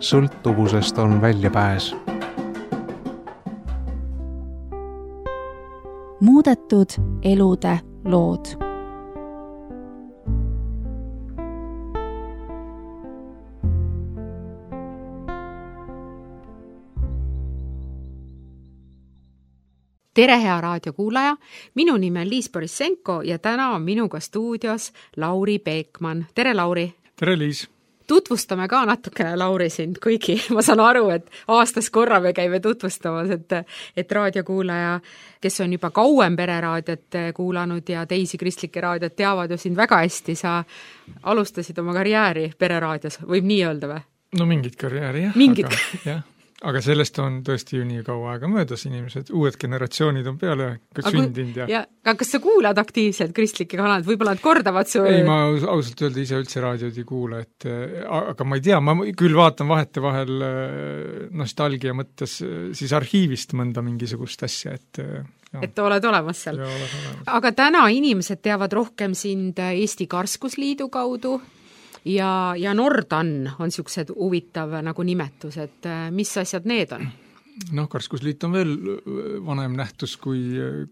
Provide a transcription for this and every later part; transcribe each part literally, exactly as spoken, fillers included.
sõltuvusest on väljapääs. Muudetud elude lood. Tere, hea raadiokuulaja! Minu nimi on Liis Borissenko ja täna on minuga stuudios Lauri Peekman. Tere, Lauri! Tere, Liis! Tutvustame ka natukene, Lauri, sind, kuigi ma saan aru, et aastas korra me käime tutvustamas, et, et raadiokuulaja, kes on juba kauem pereraadiot kuulanud ja teisi kristlikke raadiot, teavad ju sind väga hästi. Sa alustasid oma karjääri pereraadios, võib nii öelda või? No mingid karjääri, jah. Mingid. Aga, jah. Aga sellest on tõesti ju nii kaua aega möödas, inimesed, uued generatsioonid on peale sündinud. Ja... Ja, aga kas sa kuulad aktiivselt kristlikke kanaleid? Võib-olla nad kordavad su... Ei, ma ausalt öelda ise üldse raadiod ei kuula, et, aga ma ei tea, ma küll vaatan vahete vahel nostalgia mõttes siis arhiivist mõnda mingisugust asja, et... Ja. Et oled olemas seal. Ja, oled olemas. Aga täna inimesed teavad rohkem sind Eesti Karskusliidu kaudu, ja, ja Nordan on siuksed huvitav nagu nimetus, et mis asjad need on? Noh, Karskusliit on veel vanem nähtus kui,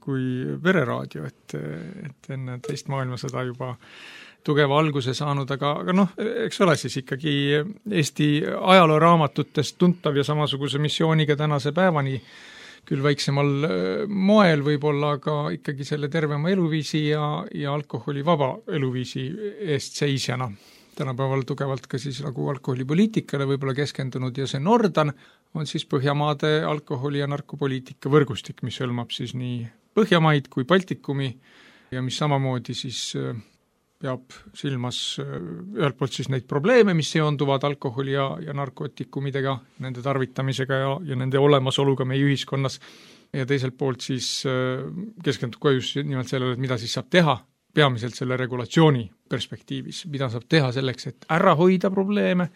kui vereraadio, et, et enne teist maailmasõda juba tugeva alguse saanud, aga, aga noh, eks ole siis ikkagi Eesti ajalooraamatutest tuntav ja samasuguse missiooniga tänase päevani küll väiksemal moel võib-olla, aga ikkagi selle tervema eluviisi ja, ja alkoholi vaba eluviisi eest seisjana. Tänapäeval tugevalt ka siis nagu alkoholipoliitikale võib-olla keskendunud ja see Nordan on siis Põhjamaade alkoholi- ja narkopoliitika võrgustik, mis hõlmab siis nii Põhjamaid kui Baltikumi ja mis samamoodi siis peab silmas ühelt poolt siis neid probleeme, mis seonduvad alkoholi ja, ja narkootikumidega, nende tarvitamisega ja, ja nende olemasoluga meie ühiskonnas ja teiselt poolt siis keskendub ka just nimelt sellele, et mida siis saab teha peamiselt selle regulatsiooni perspektiivis, mida saab teha selleks, et ära hoida probleeme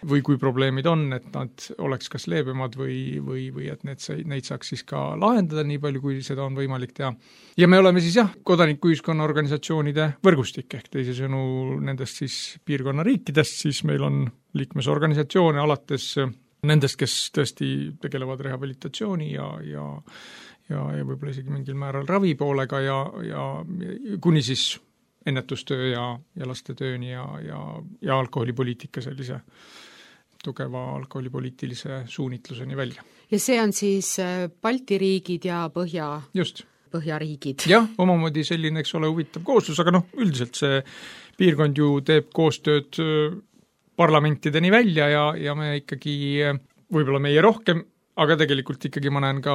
või kui probleemid on, et nad oleks kas leebemad või, või, või et need, neid saaks siis ka lahendada nii palju, kui seda on võimalik teha. Ja me oleme siis jah, kodanikuühiskonna organisatsioonide võrgustik, ehk teisisõnu nendest siis piirkonna riikidest, siis meil on liikmesorganisatsioone alates nendest, kes tõesti tegelevad rehabilitatsiooni ja, ja ja, ja võib-olla isegi mingil määral ravipoolega ja, ja kuni siis ennetustöö ja, ja lastetööni ja, ja, ja alkoholipoliitika sellise tugeva alkoholipoliitilise suunitluseni välja. Ja see on siis Balti riigid ja Põhja, Just. Põhjariigid. Jah, omamoodi selline, eks ole, huvitav koostus, aga noh, üldiselt see piirkond ju teeb koostööd parlamentideni välja ja, ja me ikkagi, võib-olla meie rohkem, aga tegelikult ikkagi ma näen ka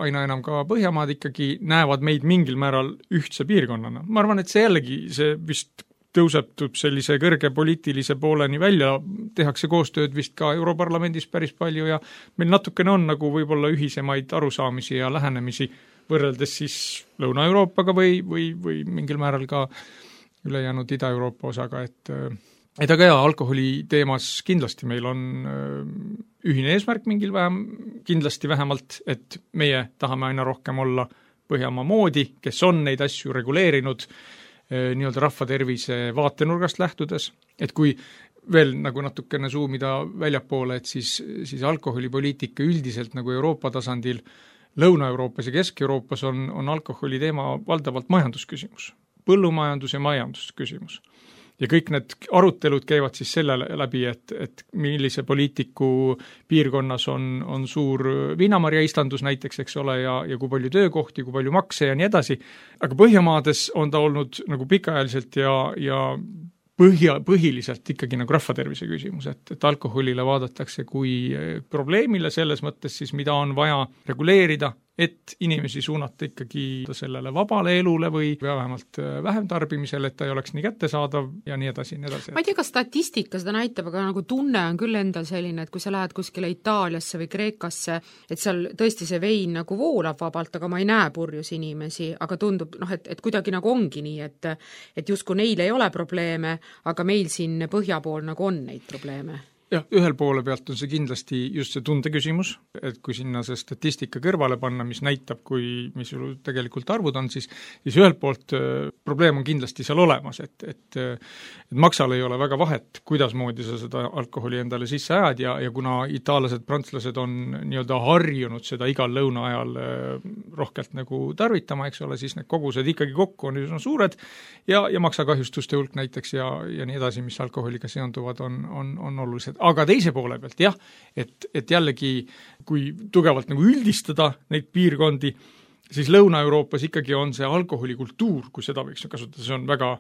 aina enam ka Põhjamaad ikkagi näevad meid mingil määral ühtse piirkonnana. Ma arvan, et see jällegi, see vist tõusetub sellise kõrge poliitilise pooleni välja, tehakse koostööd vist ka Europarlamendis päris palju ja meil natukene on nagu võib-olla ühisemaid arusaamisi ja lähenemisi võrreldes siis Lõuna-Euroopaga või, või, või mingil määral ka ülejäänud Ida-Euroopa osaga, et et aga jaa, alkoholi teemas kindlasti meil on ühine eesmärk mingil vähem, kindlasti vähemalt, et meie tahame aina rohkem olla Põhjamaa moodi, kes on neid asju reguleerinud nii-öelda rahvatervise vaatenurgast lähtudes, et kui veel nagu natukene suumida väljapoole, et siis, siis alkoholipoliitika üldiselt nagu Euroopa tasandil Lõuna-Euroopas ja Kesk-Euroopas on, on alkoholi teema valdavalt majandusküsimus, põllumajandus ja majandusküsimus. Ja kõik need arutelud käivad siis selle läbi, et, et millise poliitiku piirkonnas on, on suur viinamarja istandus näiteks, eks ole, ja, ja kui palju töökohti, kui palju makse ja nii edasi. Aga Põhjamaades on ta olnud nagu pikaajaliselt ja, ja põhja, põhiliselt ikkagi nagu rahvatervise küsimus, et, et alkoholile vaadatakse kui probleemile selles mõttes siis, mida on vaja reguleerida, et inimesi suunata ikkagi sellele vabale elule või vähemalt vähem tarbimisele, et ta ei oleks nii kättesaadav ja nii edasi, nii edasi. Ma ei tea, kas statistika seda näitab, aga nagu tunne on küll endal selline, et kui sa lähed kuskile Itaaliasse või Kreekasse, et seal tõesti see vein nagu voolab vabalt, aga ma ei näe purjus inimesi, aga tundub, noh, et, et kuidagi nagu ongi nii, et, et justkui neil ei ole probleeme, aga meil siin põhja pool nagu on neid probleeme. jah, ühel poole pealt on see kindlasti just see tunde küsimus, et kui sinna see statistika kõrvale panna, mis näitab, kui, mis tegelikult arvud on, siis, siis ühelt poolt probleem on kindlasti seal olemas, et, et, et maksal ei ole väga vahet, kuidas moodi sa seda alkoholi endale sisse ajad ja, ja kuna itaallased, prantslased on nii-öelda harjunud seda igal lõuna ajal rohkelt nagu tarvitama, eks ole, siis need kogused ikkagi kokku on üsna suured ja, ja maksakahjustuste hulk näiteks ja, ja nii edasi, mis alkoholiga seonduvad, on, on, on olulised. Aga teise poole pealt jah, et, et jällegi kui tugevalt nagu üldistada neid piirkondi, siis Lõuna-Euroopas ikkagi on see alkoholikultuur, kui seda võiks kasutada, see on väga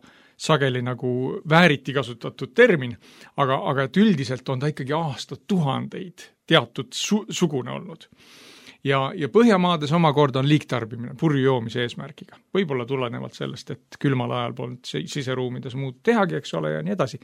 sageli nagu vääriti kasutatud termin, aga, aga et üldiselt on ta ikkagi aastat tuhandeid teatud su, sugune olnud. Ja, ja Põhjamaades omakorda on liigtarbimine purju joomise eesmärgiga. Võib-olla tulenevalt sellest, et külmal ajal polnud siseruumides muud tehagi, eks ole, ja nii edasi.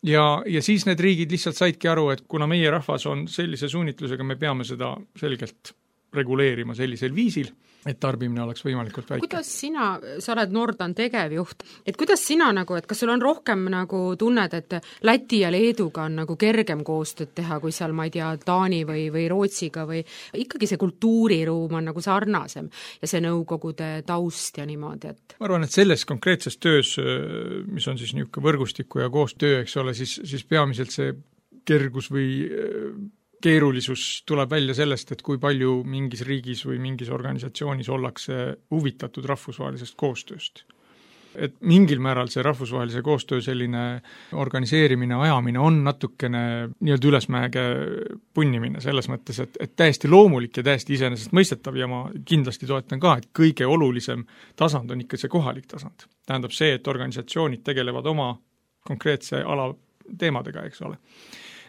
Ja, ja siis need riigid lihtsalt saidki aru, et kuna meie rahvas on sellise suunitlusega, me peame seda selgelt reguleerima sellisel viisil, et tarbimine oleks võimalikult väike. Kuidas sina, sa oled Nordan tegevjuht, et kuidas sina nagu, et kas sul on rohkem nagu tunned, et Läti ja Leeduga on nagu kergem koostööd teha, kui seal, ma ei tea, Taani või, või Rootsiga või ikkagi see kultuuriruum on nagu sarnasem ja see nõukogude taust ja niimoodi, et ma arvan, et selles konkreetses töös, mis on siis niisugune võrgustiku ja koostöö, eks ole, siis, siis peamiselt see kergus või keerulisus tuleb välja sellest, et kui palju mingis riigis või mingis organisatsioonis ollakse huvitatud rahvusvahelisest koostööst. Et mingil määral see rahvusvahelise koostöö selline organiseerimine, ajamine on natukene nii-öelda ülesmäege punnimine selles mõttes, et, et täiesti loomulik ja täiesti iseenesest mõistetav ja ma kindlasti toetan ka, et kõige olulisem tasand on ikka see kohalik tasand. Tähendab see, et organisatsioonid tegelevad oma konkreetse ala teemadega, eks ole.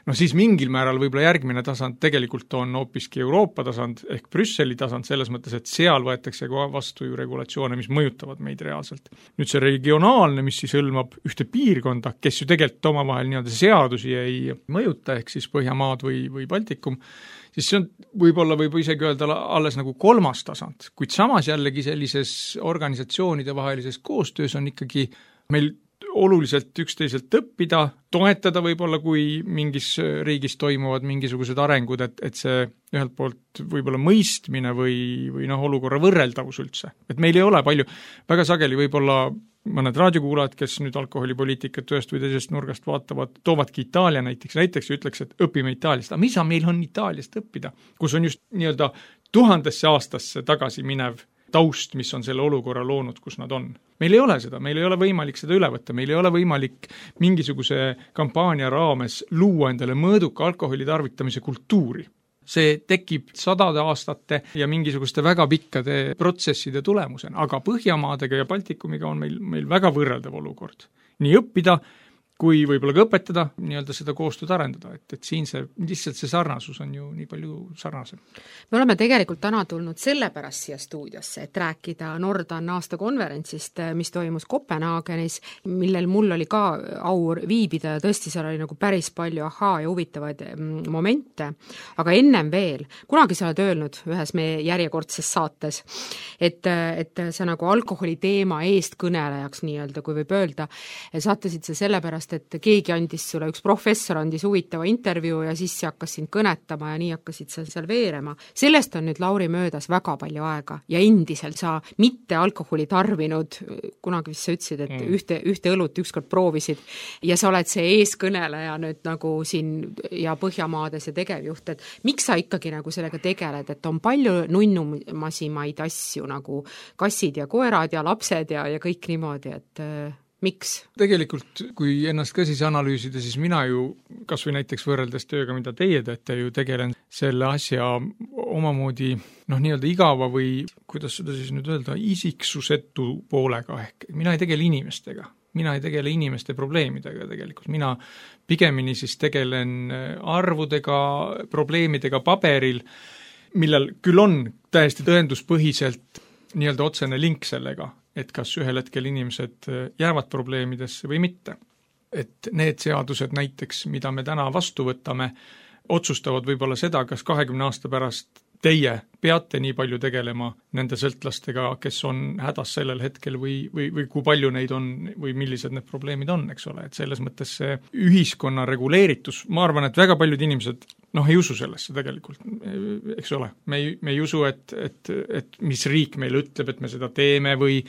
No siis mingil määral võib-olla järgmine tasand tegelikult on hoopiski Euroopa tasand ehk Brüsseli tasand selles mõttes, et seal võetakse vastu ju regulatsioone, mis mõjutavad meid reaalselt. Nüüd see regionaalne, mis siis hõlmab ühte piirkonda, kes ju tegelikult omavahel nii-öelda seadusi ei mõjuta, ehk siis Põhjamaad või, või Baltikum, siis see on võib-olla võib isegi öelda alles nagu kolmas tasand, kuid samas jällegi sellises organisatsioonide vahelises koostöös on ikkagi meil oluliselt üksteiselt õppida, toetada võib-olla, kui mingis riigis toimuvad mingisugused arengud, et, et see ühelt poolt võib-olla mõistmine või, või noh, olukorra võrreldavus üldse. Et meil ei ole palju, väga sageli võib-olla mõned raadiokuulajad, kes nüüd alkoholipoliitikat ühest või teisest nurgast vaatavad, toovadki Itaalia näiteks, näiteks ütleks, et õpime Itaaliast. Aga mis on meil on Itaaliast õppida, kus on just nii-öelda tuhandesse aastasse tagasi minev taust, mis on selle olukorra loonud, kus nad on. Meil ei ole seda, meil ei ole võimalik seda üle võtta, meil ei ole võimalik mingisuguse kampaania raames luua endale mõõduka alkoholi tarvitamise kultuuri. See tekib sadade aastate ja mingisuguste väga pikkade protsesside tulemusena, aga Põhjamaadega ja Baltikumiga on meil, meil väga võrreldav olukord. Nii õppida, kui võib-olla ka õpetada, nii-öelda seda koostööd arendada, et, et siin see, lihtsalt see sarnasus on ju nii palju sarnasem. Me oleme tegelikult täna tulnud sellepärast siia stuudiosse, et rääkida Nordan aastakonverentsist, mis toimus Kopenhaagenis, millel mul oli ka au viibida ja tõesti seal oli nagu päris palju ahaa ja huvitavaid momente, aga ennem veel, kunagi sa oled öelnud ühes meie järjekordses saates, et, et sa nagu alkoholi teema eestkõnelejaks nii-öelda, kui võib öelda, saatasid sa sellepärast, et keegi andis sulle, üks professor andis huvitava intervjuu ja siis see hakkas sind kõnetama ja nii hakkasid sa seal veerema. Sellest on nüüd, Lauri, möödas väga palju aega ja endiselt sa mitte alkoholi tarvinud, kunagi vist sa ütlesid, et mm. ühte, ühte õlut ükskord proovisid ja sa oled see eeskõneleja nüüd nagu siin ja Põhjamaades ja tegevjuht, et miks sa ikkagi nagu sellega tegeled, et on palju nunnumasimaid asju nagu kassid ja koerad ja lapsed ja, ja kõik niimoodi, et miks? Tegelikult, kui ennast ka siis analüüsida, siis mina ju, kas või näiteks võrreldes tööga, mida teie teete, ju tegelen selle asja omamoodi, noh, nii-öelda igava või, kuidas seda siis nüüd öelda, isiksusetu poolega ehk. Mina ei tegele inimestega, mina ei tegele inimeste probleemidega tegelikult, mina pigemini siis tegelen arvudega, probleemidega paberil, millel küll on täiesti tõenduspõhiselt nii-öelda otsene link sellega, et kas ühel hetkel inimesed jäävad probleemidesse või mitte. Et need seadused näiteks, mida me täna vastu võtame, otsustavad võib-olla seda, kas kahekümne aasta pärast teie peate nii palju tegelema nende sõltlastega, kes on hädas sellel hetkel või, või, või kui palju neid on või millised need probleemid on, eks ole, et selles mõttes see ühiskonna reguleeritus, ma arvan, et väga paljud inimesed noh, ei usu sellesse tegelikult, eks ole, me ei, me ei usu, et, et, et mis riik meile ütleb, et me seda teeme või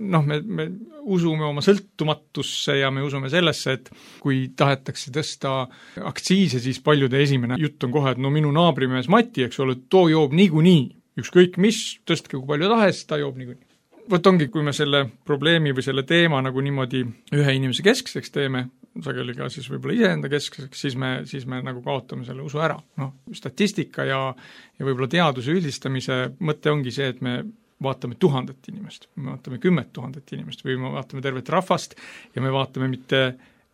noh, me, me usume oma sõltumatusse ja me usume sellesse, et kui tahetakse tõsta aktsiise, siis paljude esimene jutt on kohe, et no minu naabrimees Mati, eks ole, too joob niikuinii, ükskõik mis, tõstke kui palju tahes, ta joob niikuinii. Võt ongi, kui me selle probleemi või selle teema nagu niimoodi ühe inimese keskseks teeme, sageli ka siis võib-olla iseenda keskseks, siis me, siis me nagu kaotame selle usu ära. Noh, statistika ja, ja võib-olla teaduse üldistamise mõte ongi see, et me vaatame tuhandet inimest, me vaatame kümmet tuhandet inimest või me vaatame tervet rahvast ja me vaatame mitte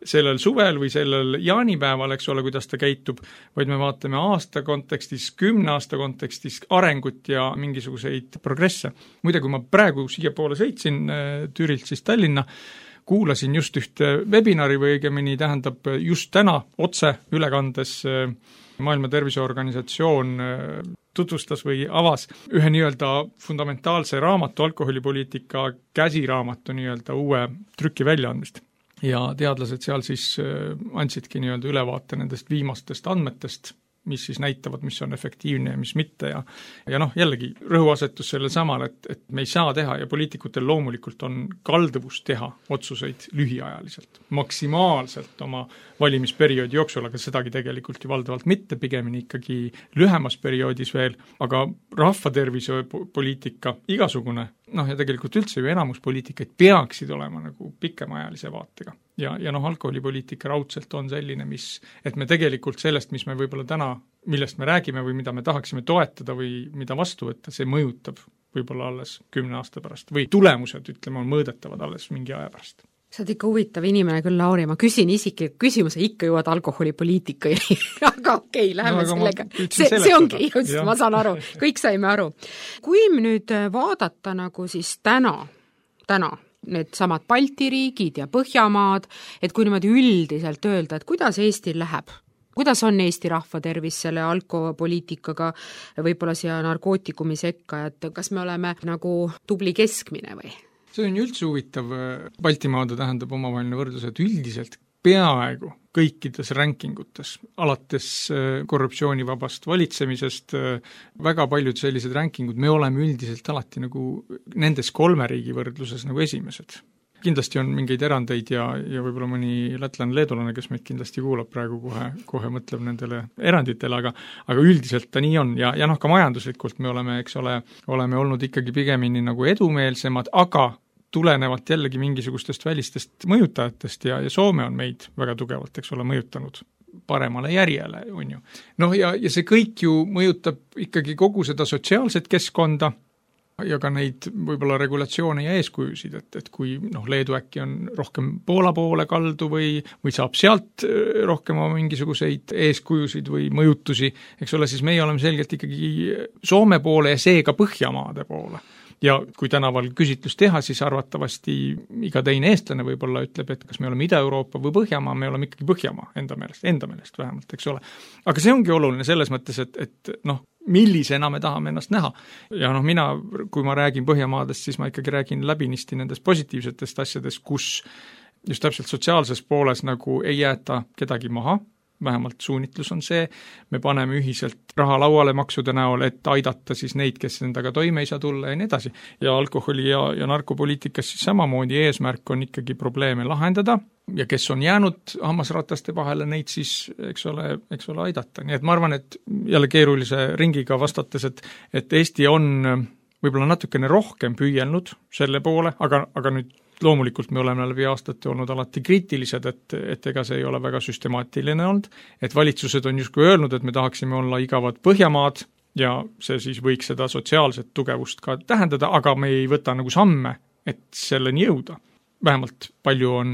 sellel suvel või sellel jaanipäeval, eks ole, kuidas ta käitub, vaid me vaatame aasta kontekstis, kümne aasta kontekstis arengut ja mingisuguseid progresse. Muide, kui ma praegu siia poole sõitsin Türilt siis Tallinna, kuulasin just ühte webinari või õigemini tähendab just täna otse ülekandes Maailma Terviseorganisatsioon tutvustas või avas ühe nii-öelda fundamentaalse raamatu, alkoholipoliitika käsiraamatu nii-öelda uue trüki väljaandmist. Ja teadlased seal siis andsidki nii-öelda ülevaate nendest viimastest andmetest, mis siis näitavad, mis on efektiivne ja mis mitte ja ja noh, jällegi rõhuasetus sellel samal, et, et me ei saa teha ja poliitikutel loomulikult on kalduvus teha otsuseid lühiajaliselt, maksimaalselt oma valimisperioodi jooksul, aga sedagi tegelikult ju valdavalt mitte, pigemini ikkagi lühemas perioodis veel, aga rahvatervise poliitika igasugune, noh ja tegelikult üldse ju enamus poliitikaid peaksid olema nagu pikemaajalise vaatega. Ja, ja noh, alkoholipoliitika raudselt on selline, mis, et me tegelikult sellest, mis me võib-olla täna, millest me räägime või mida me tahaksime toetada või mida vastu võtta, see mõjutab võib-olla alles kümne aasta pärast või tulemused, ütleme, on mõõdetavad alles mingi aja pärast. Sa oled ikka huvitav inimene küll, Lauri, ma küsin isikliku küsimuse, ikka jõuad alkoholipoliitika aga okei, okay, läheme no, sellega. See, see ongi, just, ma saan aru, kõik saime aru. Kui nüüd vaadata nagu siis täna, täna, need samad Balti riigid ja Põhjamaad, et kui niimoodi üldiselt öelda, et kuidas Eestil läheb, kuidas on Eesti rahva tervis selle alkopoliitikaga, võib-olla siia narkootikumi sekka, et kas me oleme nagu tubli keskmine või? See on üldse huvitav, Baltimaade tähendab omavaheline võrdlus, et üldiselt peaaegu kõikides rankingutes, alates korruptsioonivabast valitsemisest, väga paljud sellised rankingud, me oleme üldiselt alati nagu nendes kolme riigi võrdluses nagu esimesed. Kindlasti on mingeid erandeid ja, ja võib-olla mõni lätlane, leedulane, kes meid kindlasti kuulab praegu kohe, kohe mõtleb nendele eranditele, aga, aga üldiselt ta nii on ja, ja noh, ka majanduslikult me oleme, eks ole, oleme olnud ikkagi pigemini nagu edumeelsemad, aga tulenevalt jällegi mingisugustest välistest mõjutajatest ja, ja Soome on meid väga tugevalt, eks ole, mõjutanud paremale järjele, on ju. Noh, ja, ja see kõik ju mõjutab ikkagi kogu seda sotsiaalset keskkonda ja ka neid võib-olla regulatsioone ja eeskujusid, et, et kui noh, Leedu äkki on rohkem Poola poole kaldu või, või saab sealt rohkem mingisuguseid eeskujusid või mõjutusi, eks ole, siis meie oleme selgelt ikkagi Soome poole ja seega Põhjamaade poole. Ja kui tänaval küsitlus teha, siis arvatavasti iga teine eestlane võib-olla ütleb, et kas me oleme Ida-Euroopa või Põhjamaa, me oleme ikkagi Põhjamaa enda meelest, enda meelest vähemalt, eks ole. Aga see ongi oluline selles mõttes, et, et noh, millisena me tahame ennast näha. Ja noh, mina, kui ma räägin Põhjamaadest, siis ma ikkagi räägin läbinisti nendest positiivsetest asjadest, kus just täpselt sotsiaalses pooles nagu ei jäeta kedagi maha, vähemalt suunitlus on see, me paneme ühiselt raha lauale maksude näol, et aidata siis neid, kes endaga toime ei saa tulla ja nii edasi. Ja alkoholi ja, ja narkopoliitikas siis samamoodi eesmärk on ikkagi probleeme lahendada ja kes on jäänud hammasrataste vahele, neid siis, eks ole, eks ole aidata. Nii et ma arvan, et jälle keerulise ringiga vastates, et, et Eesti on võib-olla natukene rohkem püüelnud selle poole, aga, aga nüüd loomulikult me oleme läbi aastate olnud alati kriitilised, et, et ega see ei ole väga süstemaatiline olnud, et valitsused on justkui öelnud, et me tahaksime olla igavad Põhjamaad ja see siis võiks seda sotsiaalset tugevust ka tähendada, aga me ei võta nagu samme, et selleni jõuda. Vähemalt palju on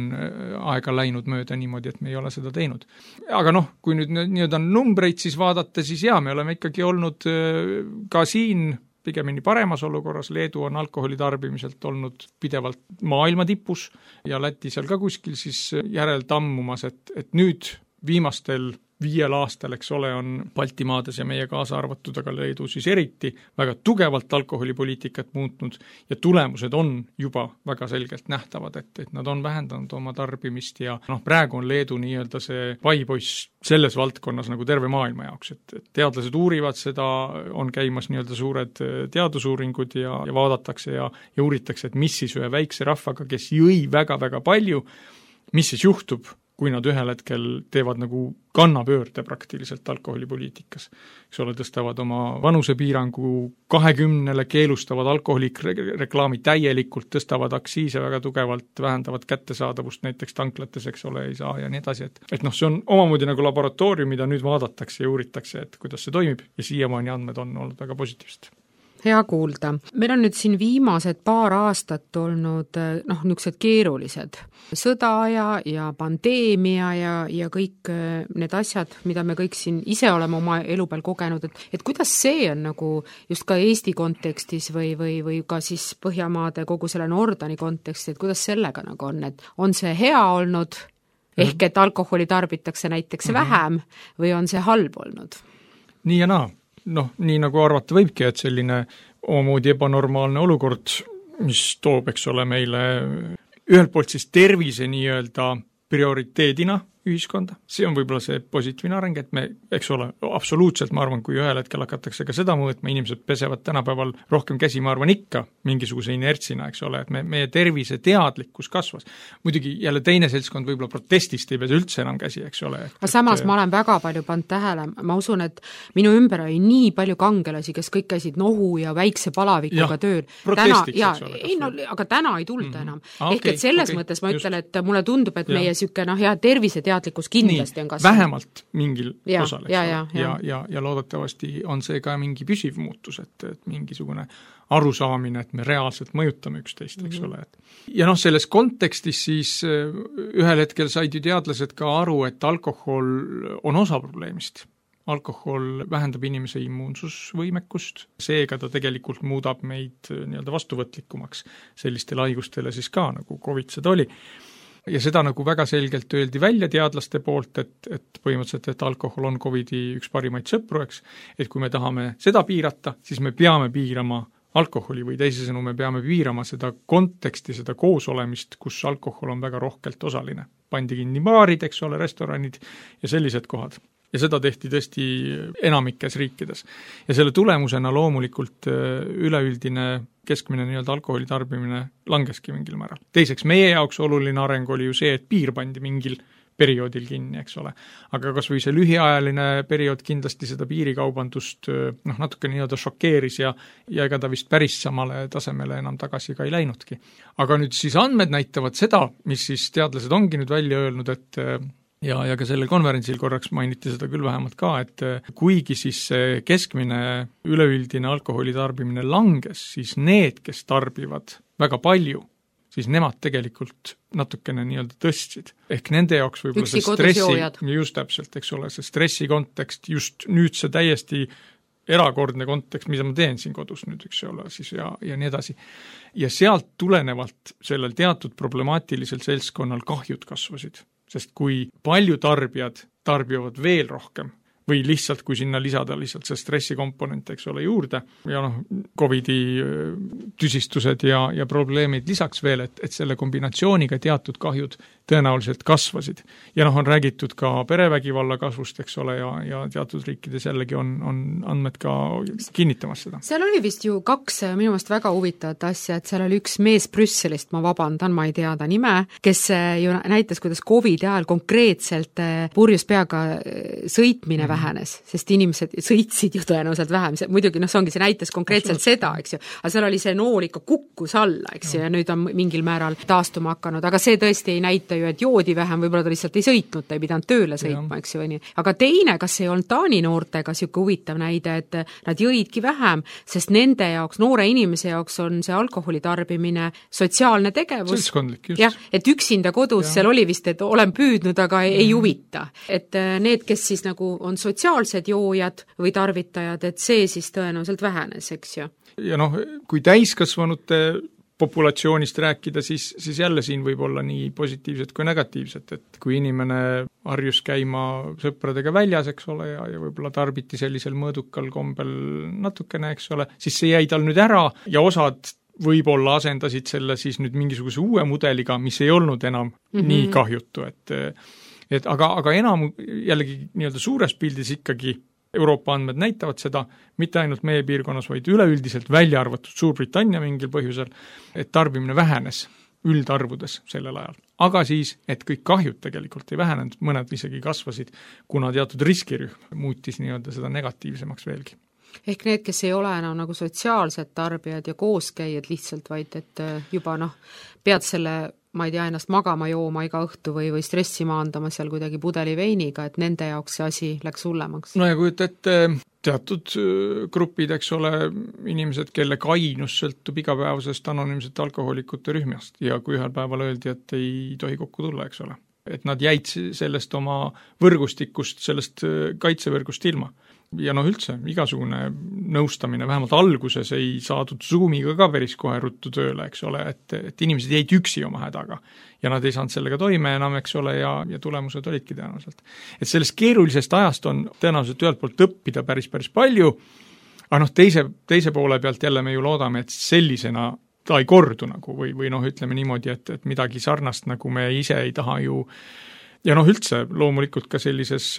aega läinud mööda niimoodi, et me ei ole seda teinud. Aga noh, kui nüüd nii-öelda numbreid siis vaadata, siis jaa, me oleme ikkagi olnud ka siin pigemini paremas olukorras, Leedu on alkoholi tarbimiselt olnud pidevalt maailma tipus ja Läti seal ka kuskil siis järel tammumas, et, et nüüd viimastel viiel aastal, eks ole, on Baltimaades ja meie kaasa arvatud, aga Leedu siis eriti, väga tugevalt alkoholipoliitikat muutnud ja tulemused on juba väga selgelt nähtavad, et, et nad on vähendanud oma tarbimist ja noh, praegu on Leedu nii-öelda see paipoiss selles valdkonnas nagu terve maailma jaoks, et, et teadlased uurivad seda, on käimas nii-öelda suured teadusuuringud ja, ja vaadatakse ja, ja uuritakse, et mis siis ühe väikse rahvaga, kes jõi väga-väga palju, mis siis juhtub, kui nad ühel hetkel teevad nagu kannapöörde praktiliselt alkoholipoliitikas. Eks ole, tõstavad oma vanusepiirangu kahekümnele, keelustavad alkoholireklaami täielikult, tõstavad aktsiise väga tugevalt, vähendavad kättesaadavust näiteks tanklates, eks ole, ei saa ja nii edasi, et, et noh, see on omamoodi nagu laboratoorium, mida nüüd vaadatakse ja uuritakse, et kuidas see toimib ja siiamaani andmed on olnud väga positiivsed. Hea kuulda. Meil on nüüd siin viimased paar aastat olnud noh, niisugused keerulised. Sõda ja, ja pandeemia ja, ja kõik need asjad, mida me kõik siin ise oleme oma elu peal kogenud, et, et kuidas see on nagu just ka Eesti kontekstis või, või, või ka siis Põhjamaade kogu selle Nordani kontekstis, et kuidas sellega nagu on, et on see hea olnud, ehk et alkoholi tarbitakse näiteks mm-hmm. vähem või on see halb olnud? Nii ja naa. Noh, nii nagu arvata võibki, et selline omamoodi ebanormaalne olukord, mis toob, eks ole, meile ühelt poolt siis tervise nii-öelda prioriteedina ühiskonda. See on võib-olla see positiivne areng, et me, eks ole, absoluutselt ma arvan, kui ühel hetkel hakatakse ka seda mõõtma, inimesed pesevad tänapäeval rohkem käsi, ma arvan ikka mingisuguse inertsina, eks ole, et me, meie tervise teadlikkus kasvas. Muidugi jälle teine seltskond võib-olla protestist ei pese üldse enam käsi, eks ole. Aga samas et, ma olen väga palju pannud tähele, ma usun, et minu ümber oli nii palju kangelasi, kes kõik käisid nohu ja väikse palavikuga ja, tööl. Protestiks, täna, eks ole. Ei, no, aga täna ei tulda mm-hmm. enam. Ah, Ehk okay, et selles okay, mõttes ma just. ütlen, et mulle tundub, et ja. meie süke, noh, hea tervise teadlikkus kindlasti nii, on kasvanud. Vähemalt mingil ja, osal, eks ja, ole. Ja, ja. Ja, ja, ja loodetavasti on see ka mingi püsiv muutus, et, et mingisugune arusaamine, et me reaalselt mõjutame üksteist, eks mm-hmm. ole. Et. Ja noh, selles kontekstis siis ühel hetkel said ju teadlased ka aru, et alkohol on osa probleemist. Alkohol vähendab inimese immuunsusvõimekust, seega ta tegelikult muudab meid nii-öelda vastuvõtlikumaks sellistele haigustele siis ka, nagu COVID seda oli. Ja seda nagu väga selgelt öeldi välja teadlaste poolt, et, et põhimõtteliselt, et alkohol on COVIDi üks parimaid sõpru, eks, et kui me tahame seda piirata, siis me peame piirama alkoholi või teisisõnu me peame piirama seda konteksti, seda koosolemist, kus alkohol on väga rohkelt osaline. Pandi kinni baarid, eks ole, restoranid ja sellised kohad. Ja seda tehti tõesti enamikes riikides. Ja selle tulemusena loomulikult üleüldine keskmine nii-öelda alkoholi tarbimine langeski mingil määral. Teiseks, meie jaoks oluline areng oli ju see, et piir pandi mingil perioodil kinni, eks ole. Aga kas või see lühiajaline periood kindlasti seda piirikaubandust noh, natuke nii-öelda šokeeris ja, ja ega ta vist päris samale tasemele enam tagasi ka ei läinudki. Aga nüüd siis andmed näitavad seda, mis siis teadlased ongi nüüd välja öelnud, et ja, ja ka sellel konverentsil korraks mainiti seda küll vähemalt ka, et kuigi siis keskmine üleüldine alkoholi tarbimine langes, siis need, kes tarbivad väga palju, siis nemad tegelikult natukene nii-öelda tõstsid. Ehk nende jaoks võib-olla see stressi, just täpselt, eks ole, see stressi kontekst, just nüüd see täiesti erakordne kontekst, mida ma teen siin kodus nüüd, eks ole, siis ja, ja nii edasi. Ja sealt tulenevalt sellel teatud problemaatilisel seltskonnal kahjud kasvasid. Sest kui palju tarbijad tarbivad veel rohkem või lihtsalt, kui sinna lisada lihtsalt see stressikomponent, eks ole, juurde ja noh, COVIDi tüsistused ja, ja probleemid lisaks veel, et, et selle kombinatsiooniga teatud kahjud tõenäoliselt kasvasid. Ja noh, on räägitud ka perevägivalla kasvust, eks ole, ja, ja teatud riikides jällegi on, on andmed ka kinnitamas seda. Seal oli vist ju kaks minu meelest väga huvitavat asja, et seal oli üks mees Brüsselist, ma vabandan, ma ei tea ta nime, kes ju näitas, kuidas COVIDi ajal konkreetselt purjus peaga sõitmine mm. vähenes, sest inimesed sõitsid ju tõenäoliselt vähem, see, muidugi noh, see ongi, see näitas konkreetselt seda, eks ju, aga seal oli see nool ikka kukkus alla, eks ju, ja nüüd on mingil määral taastuma hakanud, aga see tõesti ei näita ju, et joodi vähem, võib-olla ta lihtsalt ei sõitnud, ta ei pidanud tööle sõitma, eks ju, või nii. Aga teine, kas ei olnud Taani noortega siuke huvitav näide, et nad jõidki vähem, sest nende jaoks, noore inimese jaoks on see alkoholi tarbimine sotsiaalne tegevus. Seltskondlik, just. Jah, et üksinda kodus ja. Seal oli vist, et olen püüdnud, aga ei, ei huvita. Et need, kes siis nagu on sotsiaalsed joojad või tarvitajad, et see siis tõenäoliselt vähenes, eks ju. Ja noh, kui täiskasvanute populatsioonist rääkida, siis, siis jälle siin võib olla nii positiivset kui negatiivset, et kui inimene harjus käima sõpradega väljas, eks ole, ja, ja võib-olla tarbiti sellisel mõõdukal kombel natukene, eks ole, siis see jäi tal nüüd ära ja osad võib-olla asendasid selle siis nüüd mingisuguse uue mudeliga, mis ei olnud enam mm-hmm. nii kahjutu, et, et aga, aga enam jällegi nii-öelda suures pildis ikkagi Euroopa andmed näitavad seda, mitte ainult meie piirkonnas, vaid üleüldiselt välja arvatud Suurbritannia mingil põhjusel, et tarbimine vähenes üldarvudes sellel ajal. Aga siis, et kõik kahjud tegelikult ei vähenenud, mõned isegi kasvasid, kuna teatud riskirühm muutis nii-öelda seda negatiivsemaks veelgi. Ehk need, kes ei ole enam nagu sotsiaalsed tarbijad ja kooskäijad lihtsalt, vaid et juba noh, pead selle ma ei tea, ennast magama jooma iga õhtu või, või stressi maandama seal kuidagi pudeli veiniga, et nende jaoks see asi läks hullemaks. No ja kujuta ette teatud grupid, eks ole, inimesed, kelle kainus sõltub igapäevasest anonüümsete alkohoolikute rühmast ja kui ühel päeval öeldi, et ei tohi kokku tulla, eks ole. Et nad jäid sellest oma võrgustikust, sellest kaitsevõrgust ilma. Ja noh üldse, igasugune nõustamine, vähemalt alguses ei saadud Zoomiga ka päris kohe ruttu tööle, eks ole, et, et inimesed jäid üksi oma hädaga ja nad ei saanud sellega toime enam, eks ole, ja, ja tulemused olidki tõenäoliselt. Et sellest keerulisest ajast on tõenäoliselt ühelt poolt õppida päris, päris palju, aga noh, teise, teise poole pealt jälle me ju loodame, et sellisena ta ei kordu nagu või, või noh, ütleme niimoodi, et, et midagi sarnast, nagu me ise ei taha ju ja noh, üldse loomulikult ka sellises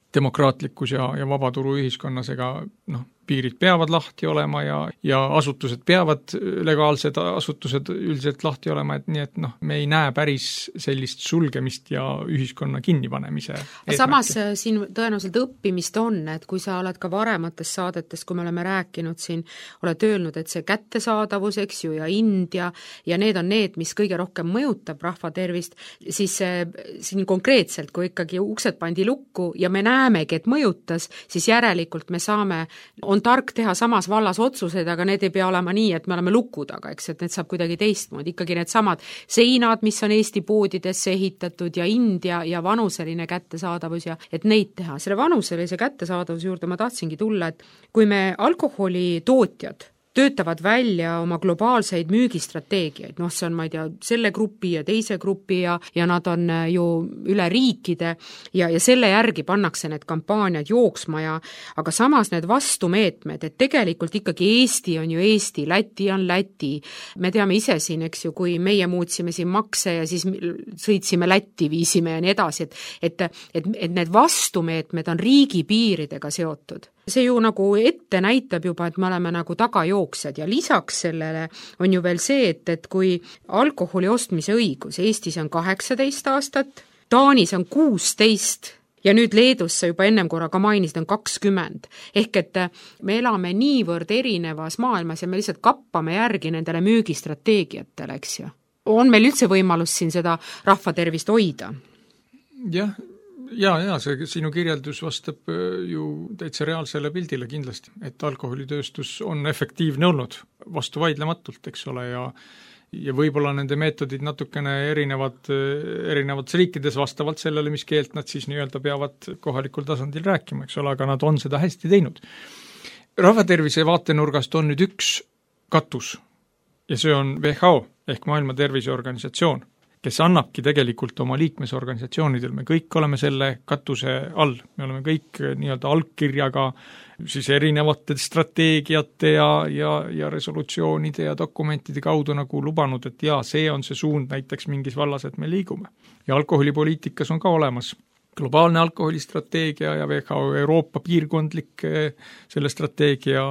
demokraatlikus ja, ja vabaturu ühiskonnas, ega noh, piirid peavad lahti olema ja, ja asutused peavad, legaalsed asutused üldiselt lahti olema, et nii, et noh, me ei näe päris sellist sulgemist ja ühiskonna kinnipanemise eesmärki. Samas siin tõenäoliselt õppimist on, et kui sa oled ka varemates saadetes, kui me oleme rääkinud siin, oled öelnud, et see kättesaadavus, eks ju, ja India ja need on need, mis kõige rohkem mõjutab rahva tervist, siis siin konkreetselt, kui ikkagi uksed pandi lukku ja me näemegi, et mõjutas, siis järelikult me saame, on tark teha samas vallas otsuseid, aga need ei pea olema nii, et me oleme luku taga, eks, et need saab kuidagi teistmoodi. Ikkagi need samad seinad, mis on Eesti poodidesse ehitatud ja India ja vanuseline kättesaadavus ja et neid teha. Selle vanuselise kättesaadavuse juurde ma tahtsingi tulla, et kui me alkoholi tootjad töötavad välja oma globaalseid müügistrateegiaid, noh see on, ma ei tea, selle grupi ja teise grupi ja, ja nad on ju üle riikide ja, ja selle järgi pannakse need kampaaniad jooksma ja aga samas need vastumeetmed, et tegelikult ikkagi Eesti on ju Eesti, Läti on Läti. Me teame ise siin, eks ju, kui meie muutsime siin makse ja siis sõitsime Lätti, viisime ja nii edasi, et, et, et, et need vastumeetmed on riigi piiridega seotud. See ju nagu ette näitab juba, et me oleme nagu tagajooksjad ja lisaks sellele on ju veel see, et, et kui alkoholi ostmise õigus Eestis on kaheksateist aastat, Taanis on kuusteist ja nüüd Leedus sa juba ennem korra ka mainisid on kakskümmend. Ehk et me elame niivõrd erinevas maailmas ja me lihtsalt kappame järgi nendele müügistrateegiatele, eks ju. On meil üldse võimalus siin seda rahva tervist hoida? Jah, ja, ja see sinu kirjeldus vastab ju täitsa reaalsele pildile kindlasti, et alkoholitööstus on efektiivne olnud vastu vaidlematult, eks ole, ja ja võib-olla nende meetodid natukene erinevad erinevates riikides vastavalt sellele, mis keelt nad siis nii-öelda peavad kohalikul tasandil rääkima, eks ole, aga nad on seda hästi teinud. Rahvatervise vaatenurgast on nüüd üks katus ja see on W H O ehk Maailma Terviseorganisatsioon, kes annabki tegelikult oma liikmesorganisatsioonidel, me kõik oleme selle katuse all, me oleme kõik nii-öelda allkirjaga siis erinevate strateegiate ja, ja, ja resolutsioonide ja dokumentide kaudu nagu lubanud, et jaa, see on see suund näiteks mingis vallas, et me liigume. Ja alkoholipoliitikas on ka olemas globaalne alkoholistrateegia ja W H O Euroopa piirkondlik selle strateegia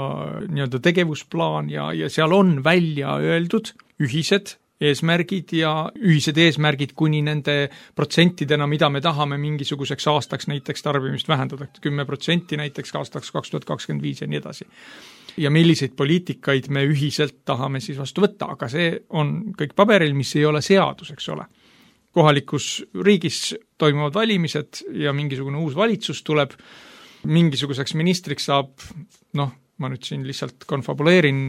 nii-öelda tegevusplaan ja, ja seal on välja öeldud ühised eesmärgid ja ühised eesmärgid kuni nende protsentidena, mida me tahame mingisuguseks aastaks näiteks tarbimist vähendada, kümme protsenti näiteks aastaks kaks tuhat kakskümmend viis ja nii edasi. Ja milliseid poliitikaid me ühiselt tahame siis vastu võtta, aga see on kõik paberil, mis ei ole seadus, eks ole. Kohalikus riigis toimuvad valimised ja mingisugune uus valitsus tuleb, mingisuguseks ministriks saab, noh, ma nüüd siin lihtsalt konfabuleerin,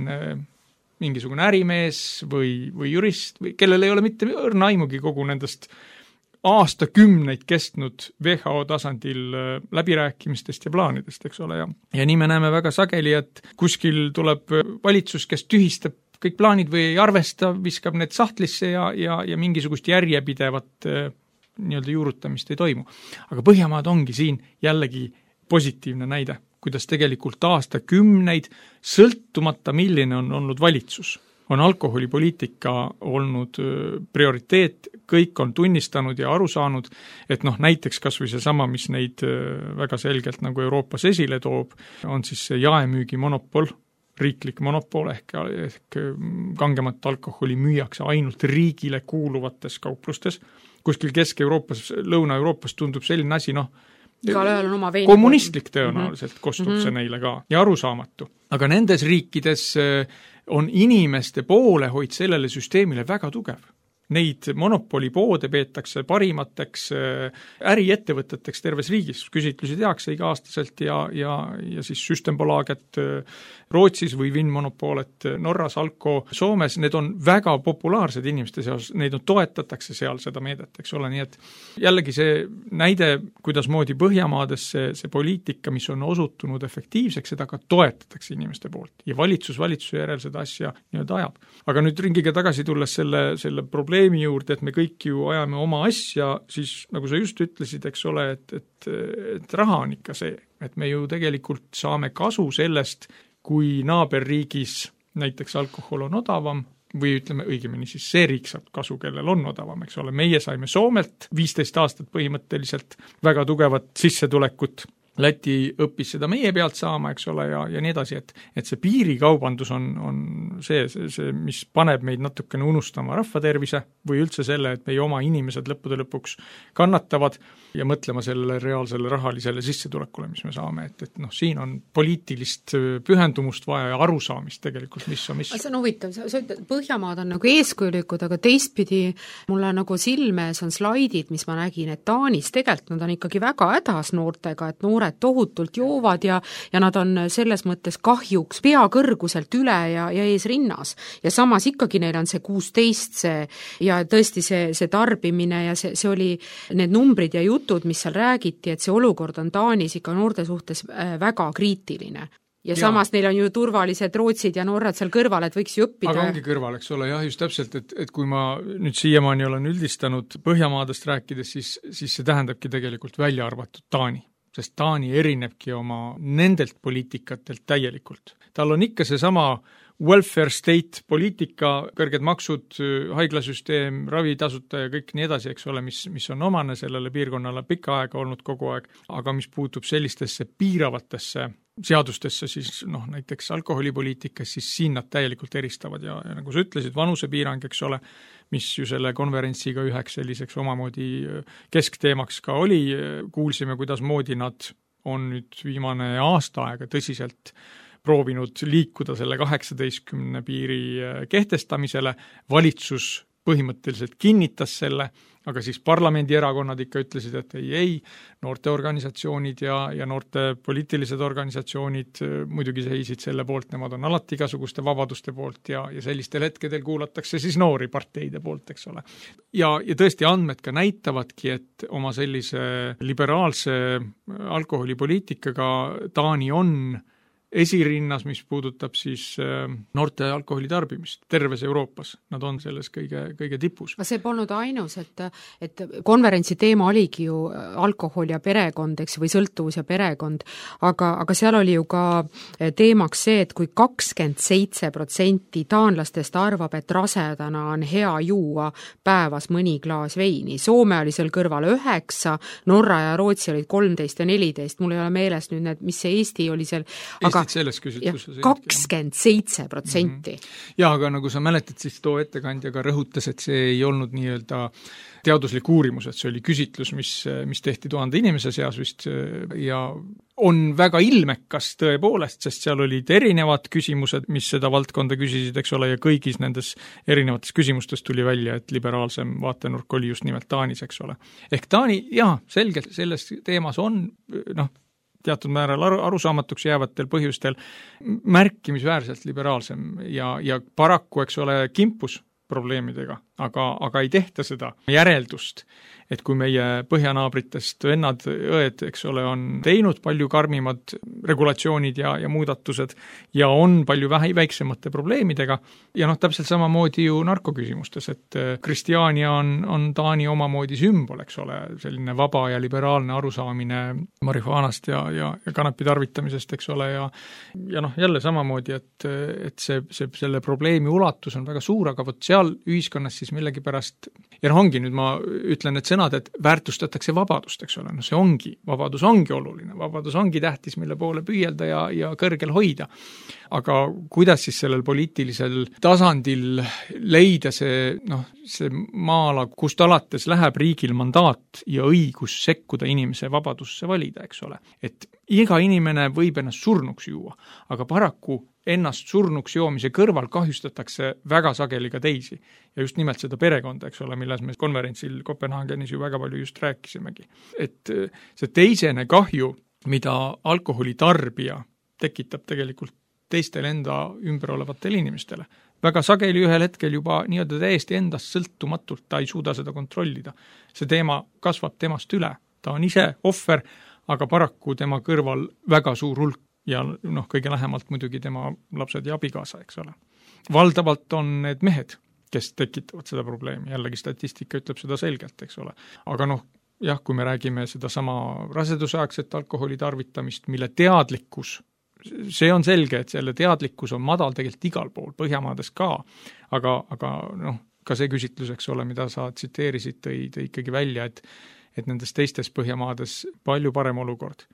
mingisugune ärimees või, või jurist, või kellel ei ole mitte õrna aimugi kogu nendest aastakümneid kestnud W H O tasandil läbirääkimistest ja plaanidest, eks ole, ja, ja nii me näeme väga sageli, et kuskil tuleb valitsus, kes tühistab kõik plaanid või ei arvesta, viskab need sahtlisse ja, ja, ja mingisugust järjepidevat nii-öelda juurutamist ei toimu. Aga Põhjamaad ongi siin jällegi positiivne näide, kuidas tegelikult aastakümneid sõltumata milline on olnud valitsus, on alkoholipoliitika olnud prioriteet, kõik on tunnistanud ja aru saanud, et noh, näiteks kas või see sama, mis neid väga selgelt nagu Euroopas esile toob, on siis see jaemüügi monopol, riiklik monopol ehk, ehk kangemat alkoholi müüakse ainult riigile kuuluvates kauplustes. Kuskil Kesk-Euroopas, Lõuna-Euroopas tundub selline asi, noh, on oma veini kommunistlik tõenäoliselt mm-hmm. kostub mm-hmm. see neile ka ja arusaamatu. Aga nendes riikides on inimeste poolehoid sellele süsteemile väga tugev. Neid monopolipoode peetakse parimateks äriettevõteteks terves riigis. Küsitlusi tehakse iga-aastaselt ja, ja, ja siis Systembolaget Rootsis või Vinmonopolet Norras, Alko Soomes, need on väga populaarsed inimeste seas, neid on toetatakse seal seda meedet, eks ole, nii et jällegi see näide, kuidas moodi Põhjamaades see, see poliitika, mis on osutunud efektiivseks, seda ka toetatakse inimeste poolt ja valitsus valitsuse järel seda asja nii-öelda ajab. Aga nüüd ringiga tagasi tulles selle, selle probleemi juurde, et me kõik ju ajame oma asja, siis nagu sa just ütlesid, eks ole, et, et, et raha on ikka see, et me ju tegelikult saame kasu sellest, kui naaberriigis näiteks alkohol on odavam või ütleme õigemini siis see riik saab kasu, kellel on odavam, eks ole. Meie saime Soomelt viisteist aastat põhimõtteliselt väga tugevat sissetulekut. Läti õppis seda meie pealt saama, eks ole, ja, ja nii edasi, et, et see piirikaubandus on, on see, see, see, mis paneb meid natukene unustama rahvatervise või üldse selle, et meie oma inimesed lõppude lõpuks kannatavad ja mõtlema sellele reaalsele rahalisele sissetulekule, mis me saame, et, et noh, siin on poliitilist pühendumust vaja ja arusaamist tegelikult, mis on mis. See on huvitav, sa, sa ütled, Põhjamaad on nagu eeskujulikud, aga teistpidi mulle nagu silmes on slaidid, mis ma nägin, et Taanis tegelikult nad on ikkagi väga hädas noortega, et noored tohutult joovad ja, ja nad on selles mõttes kahjuks pea kõrguselt üle ja, ja ees rinnas. Ja samas ikkagi neil on see kuusteist see, ja tõesti see, see tarbimine ja see, see oli need numbrid ja jutud, mis seal räägiti, et see olukord on Taanis ikka noorte suhtes väga kriitiline. Ja, ja samas neil on ju turvalised Rootsid ja Norrad seal kõrval, et võiks ju õppida. Aga ongi kõrval, eks ole, jah, just täpselt, et, et kui ma nüüd siiamaani olen üldistanud Põhjamaadest rääkides, siis, siis see tähendabki tegelikult välja arvatud Taani. Sest Taani erinebki oma nendelt poliitikatelt täielikult. Tal on ikka see sama welfare state poliitika, kõrged maksud, haiglasüsteem, ravitasuta ja kõik nii edasi, eks ole, mis, mis on omane sellele piirkonnale pikka aega olnud kogu aeg, aga mis puutub sellistesse piiravatesse seadustesse, siis noh, näiteks alkoholipoliitikas, siis siin nad täielikult eristavad ja, ja nagu sa ütlesid, vanusepiirang, eks ole, mis ju selle konverentsiga üheks selliseks omamoodi keskteemaks ka oli, kuulsime, kuidas moodi nad on nüüd viimane aasta aega tõsiselt proovinud liikuda selle kaheksateistkümne piiri kehtestamisele, valitsus põhimõtteliselt kinnitas selle, aga siis parlamendierakonnad ikka ütlesid, et ei, ei, noorteorganisatsioonid ja, ja noorte poliitilised organisatsioonid muidugi seisid selle poolt, nemad on alati igasuguste vabaduste poolt ja, ja sellistel hetkedel kuulatakse siis noori parteide poolt, eks ole. Ja, ja tõesti andmed ka näitavadki, et oma sellise liberaalse alkoholipoliitikaga Taani on esirinnas, mis puudutab siis noorte alkoholi tarbimist terves Euroopas. Nad on selles kõige, kõige tipus. Aga see polnud ainus, et, et konverentsi teema oligi ju alkohol ja perekond, eks, või sõltuvus ja perekond, aga, aga seal oli ju ka teemaks see, et kui kakskümmend seitse protsenti taanlastest arvab, et rasedana on hea juua päevas mõni klaas veini. Soome oli seal kõrval üheksa, Norra ja Rootsi olid kolmteist ja neliteist, mul ei ole meeles nüüd need, mis see Eesti oli seal, aga selles küsitluses. kakskümmend seitse protsenti. Ja, aga nagu sa mäletad, siis too ettekandja ka rõhutas, et see ei olnud nii-öelda teaduslik uurimus, et see oli küsitlus, mis, mis tehti tuhande inimese seas vist ja on väga ilmekas tõepoolest, sest seal olid erinevad küsimused, mis seda valdkonda küsisid, eks ole, ja kõigis nendes erinevates küsimustes tuli välja, et liberaalsem vaatenurk oli just nimelt Taanis, eks ole. Ehk Taani, jaa, selgelt selles teemas on, noh, teatud määral aru, arusaamatuks jäävatel põhjustel märkimisväärselt liberaalsem ja, ja paraku, eks ole, kimpus probleemidega. aga, aga ei tehta seda järeldust, et kui meie põhjanaabritest vennad, õed, eks ole, on teinud palju karmimad regulatsioonid ja, ja muudatused ja on palju vähe, väiksemate probleemidega ja noh, täpselt samamoodi ju narkoküsimustes, et Kristiania on, on Taani omamoodi sümbol, eks ole, selline vaba ja liberaalne arusaamine marihuanast ja, ja, ja kanapi tarvitamisest, eks ole, ja ja noh, jälle samamoodi, et, et see, see, selle probleemi ulatus on väga suur, aga vot seal ühiskonnas siis millegipärast ja noh, ongi nüüd ma ütlen, et sõnad, et väärtustatakse vabadust, eks ole, no see ongi, vabadus ongi oluline, vabadus ongi tähtis, mille poole püüelda ja, ja kõrgel hoida. Aga kuidas siis sellel poliitilisel tasandil leida see, noh, see maala, kust alates läheb riigil mandaat ja õigus sekkuda inimese vabadusse valida, eks ole. Et iga inimene võib ennast surnuks juua, aga paraku ennast surnuks joomise kõrval kahjustatakse väga sageli ka teisi. Ja just nimelt seda perekonda, eks ole, milles me konverentsil Kopenhaagenis ju väga palju just rääkisimegi. Et see teisene kahju, mida alkoholi tarbija tekitab tegelikult teistele enda ümber olevatele inimestele. Väga sageli ühel hetkel juba nii-öelda täiesti endast sõltumatult, ta ei suuda seda kontrollida. See teema kasvab temast üle. Ta on ise ohver, aga paraku tema kõrval väga suur hulk ja noh, kõige lähemalt muidugi tema lapsed ja abikaasa, eks ole. Valdavalt on need mehed, kes tekitavad seda probleemi. Jällegi statistika ütleb seda selgelt, eks ole. Aga noh, jah, kui me räägime seda sama rasedusaegset alkoholi tarvitamist, mille teadlikkus, see on selge, et selle teadlikkus on madal tegelikult igal pool, Põhjamaades ka, aga, aga noh, ka see küsitlus, eks ole, mida sa tsiteerisid, tõi, tõi ikkagi välja, et, et nendes teistes Põhjamaades palju parem olukord.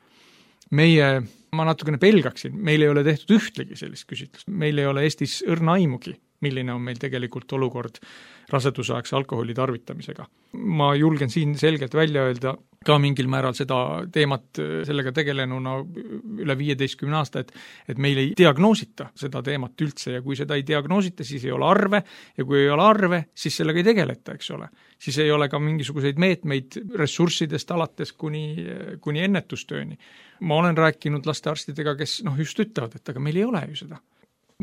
Meie, ma natukene pelgaksin, meil ei ole tehtud ühtlegi sellist küsitlust, meil ei ole Eestis õrna aimugi, milline on meil tegelikult olukord rasedusaegse alkoholi tarvitamisega. Ma julgen siin selgelt välja öelda ka mingil määral seda teemat sellega tegelenuna üle viieteistkümne aasta, et, et meil ei diagnoosita seda teemat üldse ja kui seda ei diagnoosita, siis ei ole arve ja kui ei ole arve, siis sellega ei tegeleta, eks ole. Siis ei ole ka mingisuguseid meetmeid ressurssidest alates kuni, kuni ennetustööni. Ma olen rääkinud lastearstidega, kes noh, just ütlevad, et aga meil ei ole ju seda.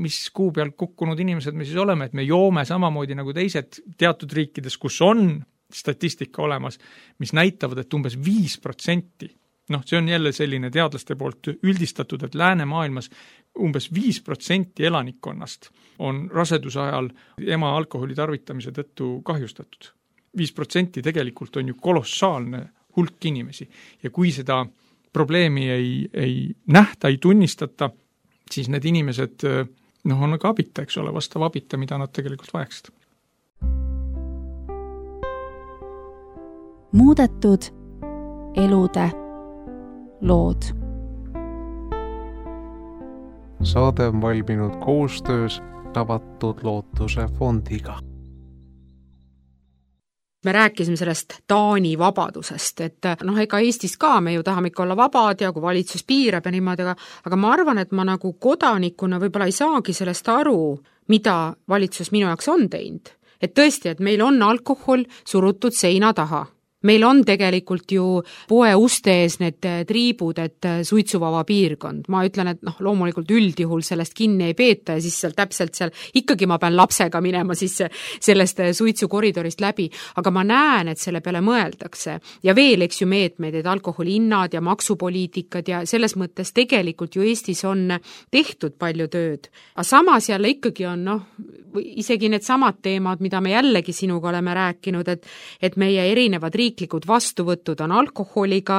Mis kuu peal kukkunud inimesed me siis oleme, et me joome samamoodi nagu teised teatud riikides, kus on statistika olemas, mis näitavad, et umbes viis protsenti, noh, see on jälle selline teadlaste poolt üldistatud, et läänemaailmas umbes viis protsenti elanikkonnast on raseduse ajal ema alkoholi tarvitamise tõttu kahjustatud. viis protsenti tegelikult on ju kolossaalne hulk inimesi ja kui seda probleemi ei, ei nähta, ei tunnistata, siis need inimesed noh, on ka abita, eks ole, vastav abita, mida nad tegelikult vajaksid. Muudetud elude lood. Saade on valminud koostöös Avatud Lootuse fondiga. Me rääkisime sellest Taani vabadusest, et noh, ega Eestis ka me ju tahame ikka olla vabad ja kui valitsus piirab ja niimoodi, aga, aga ma arvan, et ma nagu kodanikuna võib-olla ei saagi sellest aru, mida valitsus minu jaoks on teinud. Et tõesti, et meil on alkohol surutud seina taha. Meil on tegelikult ju poe uste ees need triibud, et suitsuvaba piirkond. Ma ütlen, et noh, loomulikult üldjuhul sellest kinni ei peeta ja siis seal täpselt seal ikkagi ma pean lapsega minema siis sellest suitsukoridorist läbi. Aga ma näen, et selle peale mõeldakse. Ja veel, eks ju meetmeid, et alkoholihinnad ja maksupoliitikad ja selles mõttes tegelikult ju Eestis on tehtud palju tööd. Aga samas jälle ikkagi on noh, isegi need samad teemad, mida me jällegi sinuga oleme rääkinud, et, et meie erinevad riik riiklikud vastuvõtud on alkoholiga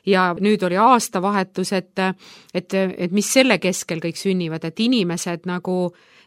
ja nüüd oli aastavahetus, et, et, et mis selle keskel kõik sünnivad, et inimesed nagu,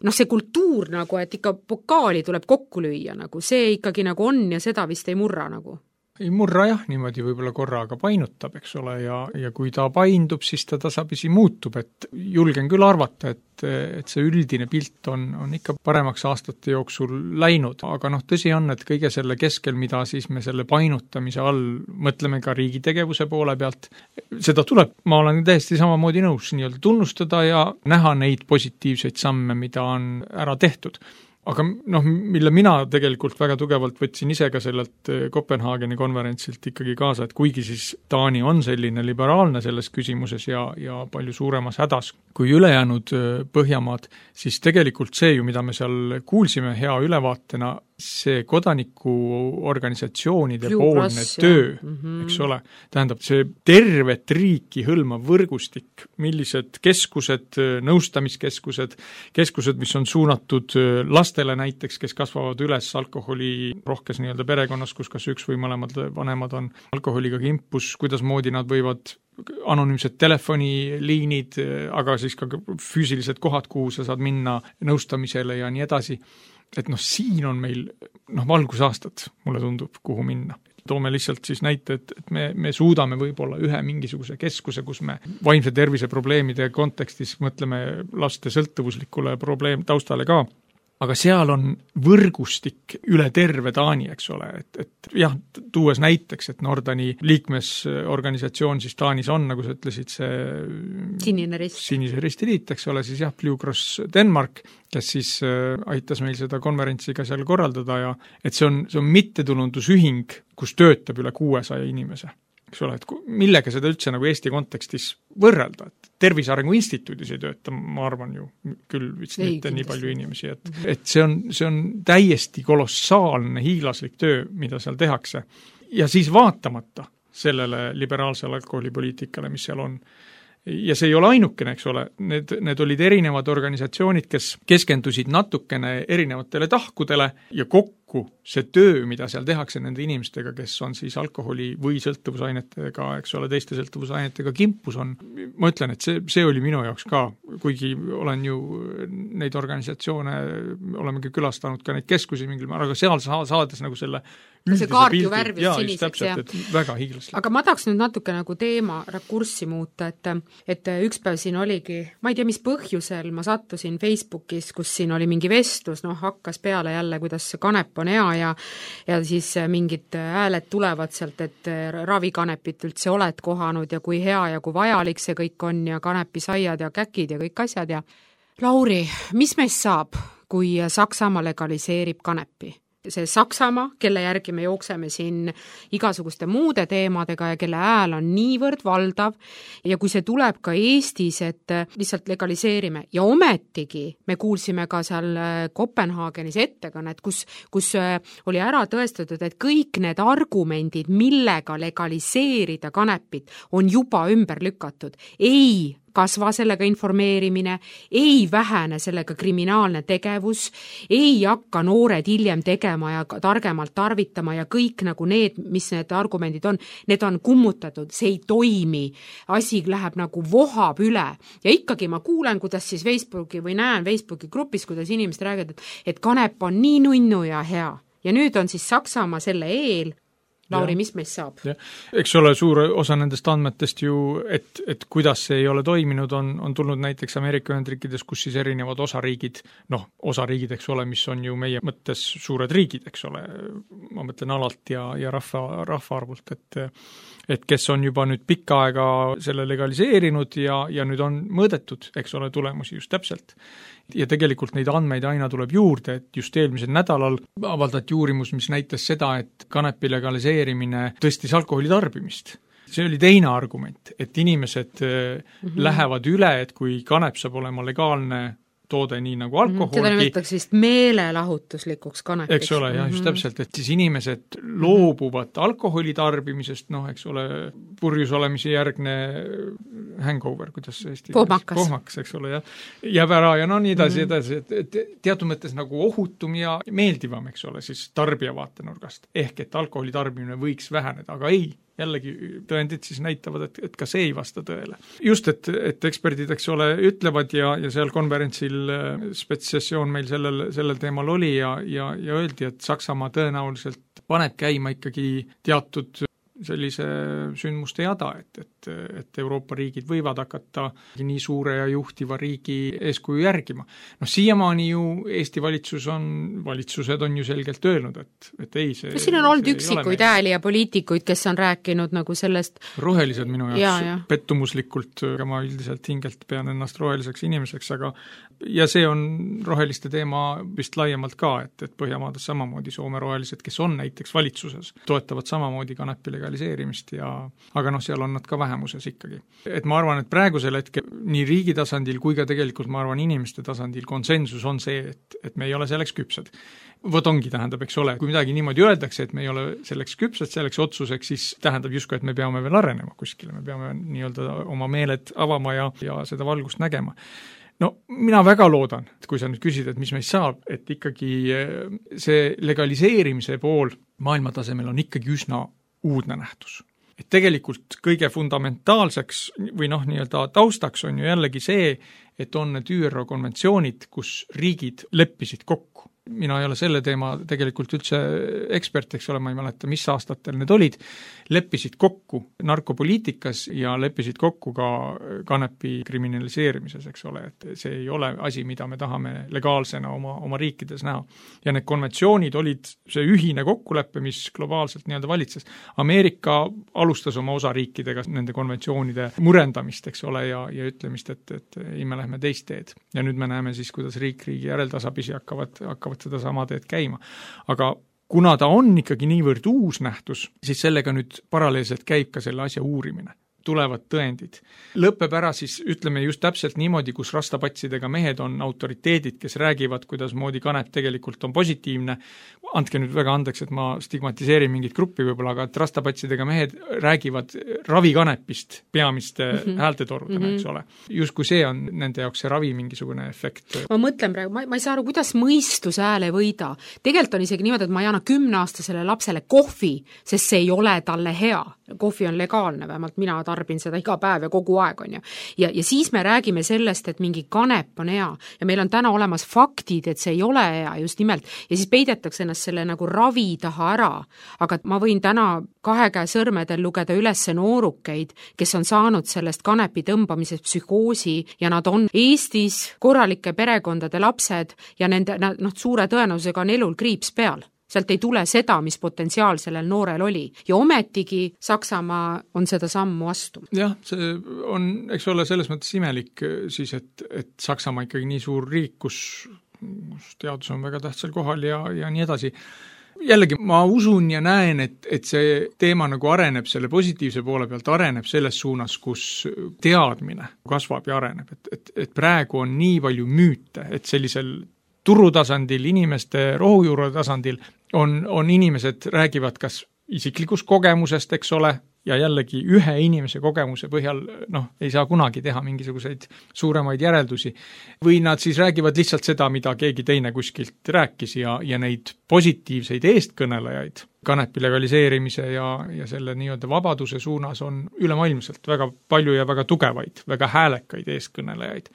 noh see kultuur nagu, et ikka pokaali tuleb kokku lüüa, nagu see ikkagi nagu on ja seda vist ei murra nagu. Ei murra jah, niimoodi võib-olla korraga painutab, eks ole, ja, ja kui ta paindub, siis ta tasapisi muutub, et julgen küll arvata, et, et see üldine pilt on, on ikka paremaks aastate jooksul läinud, aga noh, tõsi on, et kõige selle keskel, mida siis me selle painutamise all mõtleme ka riigi tegevuse poole pealt, seda tuleb, ma olen täiesti samamoodi nõus nii-öelda tunnustada ja näha neid positiivseid samme, mida on ära tehtud. Aga noh, mille mina tegelikult väga tugevalt võtsin ise ka sellelt Kopenhaageni konverentsilt ikkagi kaasa, et kuigi siis Taani on selline liberaalne selles küsimuses ja, ja palju suuremas hädas kui ülejäänud Põhjamaad, siis tegelikult see ju, mida me seal kuulsime hea ülevaatena, see kodanikuorganisatsioonide Blue poolne Cross, töö, mm -hmm. eks ole, tähendab see tervet riiki hõlmav võrgustik, millised keskused, nõustamiskeskused, keskused, mis on suunatud lastele näiteks, kes kasvavad üles alkoholi rohkes nii-öelda perekonnas, kus kas üks või mõlemad vanemad on alkoholiga kimpus, kuidas moodi nad võivad anonüümsed telefoniliinid, aga siis ka füüsilised kohad, kuhu sa saad minna nõustamisele ja nii edasi. Et noh, siin on meil noh, valgusaastad, mulle tundub, kuhu minna. Toome lihtsalt siis näite, et, et me, me suudame võib-olla ühe mingisuguse keskuse, kus me vaimse tervise probleemide kontekstis mõtleme laste sõltuvuslikule probleem taustale ka, aga seal on võrgustik üle terve Taani, eks ole, et, et jah, tuues näiteks, et Nordani liikmesorganisatsioon siis Taanis on, nagu sa ütlesid, see Sinine Rist. Sinise Risti Liit, eks ole, siis jah, Blue Cross Denmark, kes siis aitas meil seda konverentsi ka seal korraldada ja et see on, see on mittetulundusühing, kus töötab üle kuuesaja inimese. Eks ole, et millega seda üldse nagu Eesti kontekstis võrrelda, et Tervise Arengu Instituudis ei tööta, ma arvan ju, küll vist ei, mitte nii palju inimesi, et, et see on, see on täiesti kolossaalne hiiglaslik töö, mida seal tehakse. Ja siis vaatamata sellele liberaalsele alkoholipoliitikale, mis seal on. Ja see ei ole ainukene, eks ole, need, need olid erinevad organisatsioonid, kes keskendusid natukene erinevatele tahkudele ja kokku see töö, mida seal tehakse nende inimestega, kes on siis alkoholi või sõltuvusainetega, eks ole, teiste sõltuvusainetega kimpus on. Ma ütlen, et see, see oli minu jaoks ka, kuigi olen ju neid organisatsioone, olemegi külastanud ka neid keskusi mingil määral, aga seal saades nagu selle see kaart ju värvis jaa, siniseks. Täpselt, et väga hiiglaslik. Aga ma tahaks nüüd natuke nagu teema rakurssi muuta, et, et üks päev siin oligi, ma ei tea, mis põhjusel ma sattusin Facebookis, kus siin oli mingi vestlus, noh, hakkas peale jälle, kuidas kanep on hea ja, ja siis mingid hääled tulevad sealt, et ravikanepit üldse oled kohanud ja kui hea ja kui vajalik see kõik on ja kanepisaiad ja käkid ja kõik asjad ja Lauri, mis meist saab, kui Saksamaa legaliseerib kanepi? See Saksamaa, kelle järgi me jookseme siin igasuguste muude teemadega ja kelle hääl on niivõrd valdav ja kui see tuleb ka Eestis, et lihtsalt legaliseerime ja ometigi me kuulsime ka seal Kopenhaagenis ettekannet, kus, kus oli ära tõestatud, et kõik need argumendid, millega legaliseerida kanepit, on juba ümber lükatud. Ei kasva sellega informeerimine, ei vähene sellega kriminaalne tegevus, ei hakka noored hiljem tegema ja targemalt tarvitama ja kõik nagu need, mis need argumendid on, need on kummutatud, see ei toimi, asi läheb nagu vohab üle ja ikkagi ma kuulen, kuidas siis Facebooki või näen Facebooki grupis, kuidas inimesed räägivad, et, et kanep on nii nunnu ja hea ja nüüd on siis Saksamaa selle eel. Lauri, ja. Mis meist saab? Ja. Eks ole, suur osa nendest andmetest ju, et, et kuidas see ei ole toiminud, on, on tulnud näiteks Ameerika Ühendriikides, kus siis erinevad osariigid, noh, osariigid, eks ole, mis on ju meie mõttes suured riigid, eks ole, ma mõtlen alalt ja, ja rahva, rahvaarvult, et et kes on juba nüüd pikka aega selle legaliseerinud ja, ja nüüd on mõõdetud, eks ole, tulemusi just täpselt. Ja tegelikult neid andmeid aina tuleb juurde, et just eelmisel nädalal avaldati uurimus, mis näitas seda, et kanepi legaliseerimine tõstis alkoholi tarbimist. See oli teine argument, et inimesed mm-hmm. lähevad üle, et kui kanep saab olema legaalne toode nii nagu alkoholgi. Seda nimetatakse vist meelelahutuslikuks kanepiks. Eks ole, jah, just täpselt, et siis inimesed loobuvad alkoholi tarbimisest, noh, eks ole, purjus olemise järgne hangover, kuidas see Eesti pohmakas. pohmakas, eks ole, jah, jääb ära ja no nii edasi mm -hmm. edasi, et, et teatud mõttes nagu ohutum ja meeldivam, eks ole, siis tarbija vaatenurgast. Ehk et alkoholi tarbimine võiks väheneda, aga ei, jällegi tõendid siis näitavad, et, et ka see ei vasta tõele. Just, et, et eksperdid, eks ole, ütlevad ja, ja seal konverentsil spetsessioon meil sellel, sellel teemal oli ja, ja, ja öeldi, et Saksamaa tõenäoliselt paneb käima ikkagi teatud sellise sündmuste jada, et, et, et Euroopa riigid võivad hakata nii suure ja juhtiva riigi eeskuju järgima. Noh, siiamaani ju Eesti valitsus on, valitsused on ju selgelt öelnud, et, et ei, see... Siin on olnud üksikuid hääli ja poliitikuid, kes on rääkinud nagu sellest... Rohelised minu jaoks ja, ja. pettumuslikult, aga ma üldiselt hingelt pean ennast roheliseks inimeseks, aga ja see on roheliste teema vist laiemalt ka, et, et Põhjamaades samamoodi Soome rohelised, kes on näiteks valitsuses, toetavad samamoodi kanepile legaliseerimist ja aga noh, seal on nad ka vähemuses ikkagi. Et ma arvan, et praegusel hetkel nii riigi tasandil kui ka tegelikult ma arvan inimeste tasandil konsensus on see, et, et me ei ole selleks küpsed. Vot ongi tähendab, eks ole, kui midagi niimoodi öeldakse, et me ei ole selleks küpsed, selleks otsuseks, siis tähendab justkui, et me peame veel arenema kuskile, me peame nii-öelda oma meeled avama ja, ja seda valgust nägema. No mina väga loodan, et kui sa nüüd küsid, et mis meist saab, et ikkagi see legaliseerimise pool maailma tasemel on ikkagi üsna uudne nähtus. Et tegelikult kõige fundamentaalseks või noh, nii-öelda taustaks on ju jällegi see, et on need Ü R O konventsioonid, kus riigid leppisid kokku. Mina ei ole selle teema tegelikult üldse ekspert, eks ole, ma ei mäleta, mis aastatel need olid, leppisid kokku narkopoliitikas ja leppisid kokku ka kanepi kriminaliseerimises, eks ole, et see ei ole asi, mida me tahame legaalsena oma, oma riikides näha. Ja need konventsioonid olid see ühine kokkulepe, mis globaalselt nii-öelda valitses. Ameerika alustas oma osariikidega nende konventsioonide murendamist, eks ole, ja, ja ütlemist, et, et ei me lähme teist teed. Ja nüüd me näeme siis, kuidas riik riigi järeltasapisi hakkavad, hakkavad seda sama teed käima. Aga kuna ta on ikkagi niivõrd uus nähtus, siis sellega nüüd paralleelselt käib ka selle asja uurimine. Tulevad tõendid. Lõpeb ära siis, ütleme just täpselt niimoodi, kus rastapatsidega mehed on autoriteedid, kes räägivad, kuidas moodi kanep tegelikult on positiivne. Andke nüüd väga andeks, et ma stigmatiseerin mingit gruppi võib-olla, aga et rastapatsidega mehed räägivad ravikanepist peamiste mm -hmm. häältetorudena, mm -hmm. eks ole. Justkui see on nende jaoks see ravi mingisugune efekt. Ma mõtlen praegu, ma, ma ei saa aru, kuidas mõistus hääl ei võida. Tegelikult on isegi niimoodi, et ma ei anna kümneaastasele lapsele kohvi, sest see ei ole talle hea. Kohvi on legaalne, vähemalt mina tarbin seda iga päev ja kogu aeg on ju. Ja, ja siis me räägime sellest, et mingi kanep on hea ja meil on täna olemas faktid, et see ei ole hea just nimelt ja siis peidetakse ennast selle nagu ravi taha ära. Aga ma võin täna kahe käe sõrmedel lugeda üles noorukeid, kes on saanud sellest kanepi tõmbamisest psühhoosi ja nad on Eestis korralike perekondade lapsed ja nende noh, suure tõenäosusega on elul kriips peal. Sealt ei tule seda, mis potentsiaal sellel noorel oli. Ja ometigi Saksamaa on seda sammu astunud. Jah, see on, eks ole, selles mõttes imelik siis, et, et Saksamaa ikkagi nii suur riik, kus, kus teadus on väga tähtsal kohal ja, ja nii edasi. Jällegi, ma usun ja näen, et, et see teema nagu areneb selle positiivse poole pealt, areneb selles suunas, kus teadmine kasvab ja areneb. Et, et, et praegu on nii palju müüte, et sellisel turutasandil, inimeste rohujuure tasandil on, on inimesed räägivad kas isiklikust kogemusest, eks ole, ja jällegi ühe inimese kogemuse põhjal noh, ei saa kunagi teha mingisuguseid suuremaid järeldusi. Või nad siis räägivad lihtsalt seda, mida keegi teine kuskilt rääkis ja, ja neid positiivseid eestkõnelejaid kanepi legaliseerimise ja, ja selle nii-öelda vabaduse suunas on ülemaailmselt väga palju ja väga tugevaid, väga häälekaid eestkõnelejaid.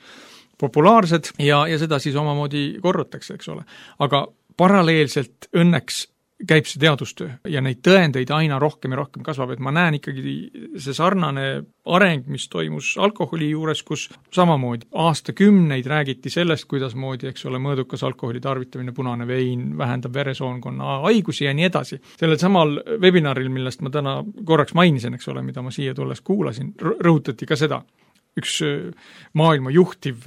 Populaarsed ja, ja seda siis omamoodi korrutakse, eks ole. Aga paralleelselt õnneks käib see teadustöö ja neid tõendeid aina rohkem ja rohkem kasvab, et ma näen ikkagi see sarnane areng, mis toimus alkoholi juures, kus samamoodi aastakümneid räägiti sellest, kuidas moodi, eks ole, mõõdukas alkoholi tarvitamine, punane vein vähendab veresoonkonna haigusi ja nii edasi. Sellel samal webinaril, millest ma täna korraks mainisin, eks ole, mida ma siia tulles kuulasin, rõhutati ka seda. Üks maailma juhtiv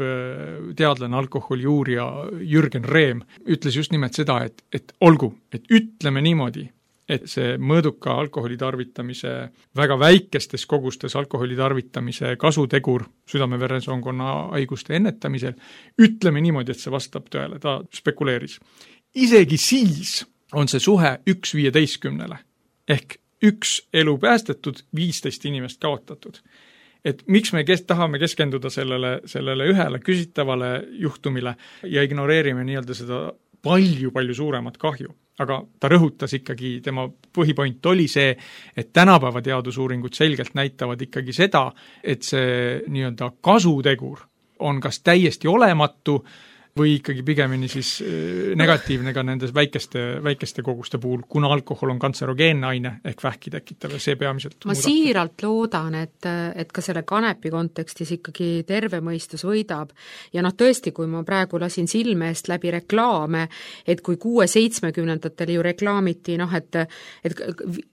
teadlane, alkoholiuurija Jürgen Rehm ütles just nimelt seda, et, et olgu, et ütleme niimoodi, et see mõõduka alkoholi tarvitamise, väga väikestes kogustes alkoholi tarvitamise kasutegur südame-veresoonkonna haiguste ennetamisel, ütleme niimoodi, et see vastab tõele, ta spekuleeris. Isegi siis on see suhe üks viieteistkümnele ehk üks elu päästetud, viisteist inimest kaotatud. Et miks me kes, tahame keskenduda sellele, sellele ühele küsitavale juhtumile ja ignoreerime nii-öelda seda palju-palju suuremat kahju. Aga ta rõhutas ikkagi, tema põhipoint oli see, et tänapäeva teadusuuringud selgelt näitavad ikkagi seda, et see nii-öelda kasutegur on kas täiesti olematu või ikkagi pigemini siis negatiivne ka nendes väikeste, väikeste koguste puhul, kuna alkohol on kantserogeenne aine ehk vähki tekitav ja see peamiselt ma muudab. Siiralt loodan, et, et ka selle kanepi kontekstis ikkagi terve mõistus võidab ja noh tõesti, kui ma praegu lasin silme eest läbi reklaame, et kui kuue-seitsmekümnendatel ju reklaamiti noh, et, et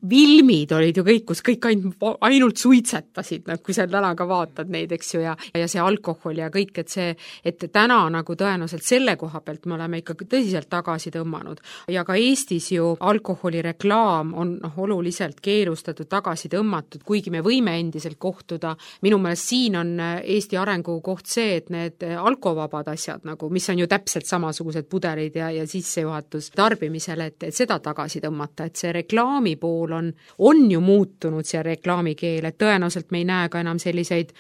vilmid olid ju kõik, kus kõik ainult, ainult suitsetasid, noh, kui sa täna ka vaatad neid, eks ju, ja, ja see alkohol ja kõik, et see, et täna nagu tõenäoliselt tõenäoliselt selle koha pealt me oleme ikkagi tõsiselt tagasi tõmmanud. Ja ka Eestis ju alkoholireklaam on noh, oluliselt keelustatud, tagasi tõmmatud, kuigi me võime endiselt kohtuda. Minu meelest siin on Eesti arengu koht see, et need alkovabad asjad, nagu, mis on ju täpselt samasugused pudelid ja, ja sissejuhatus tarbimisele, et, et seda tagasi tõmmata, et see reklaami pool on, on ju muutunud see reklaamikeel, et tõenäoliselt me ei näe ka enam selliseid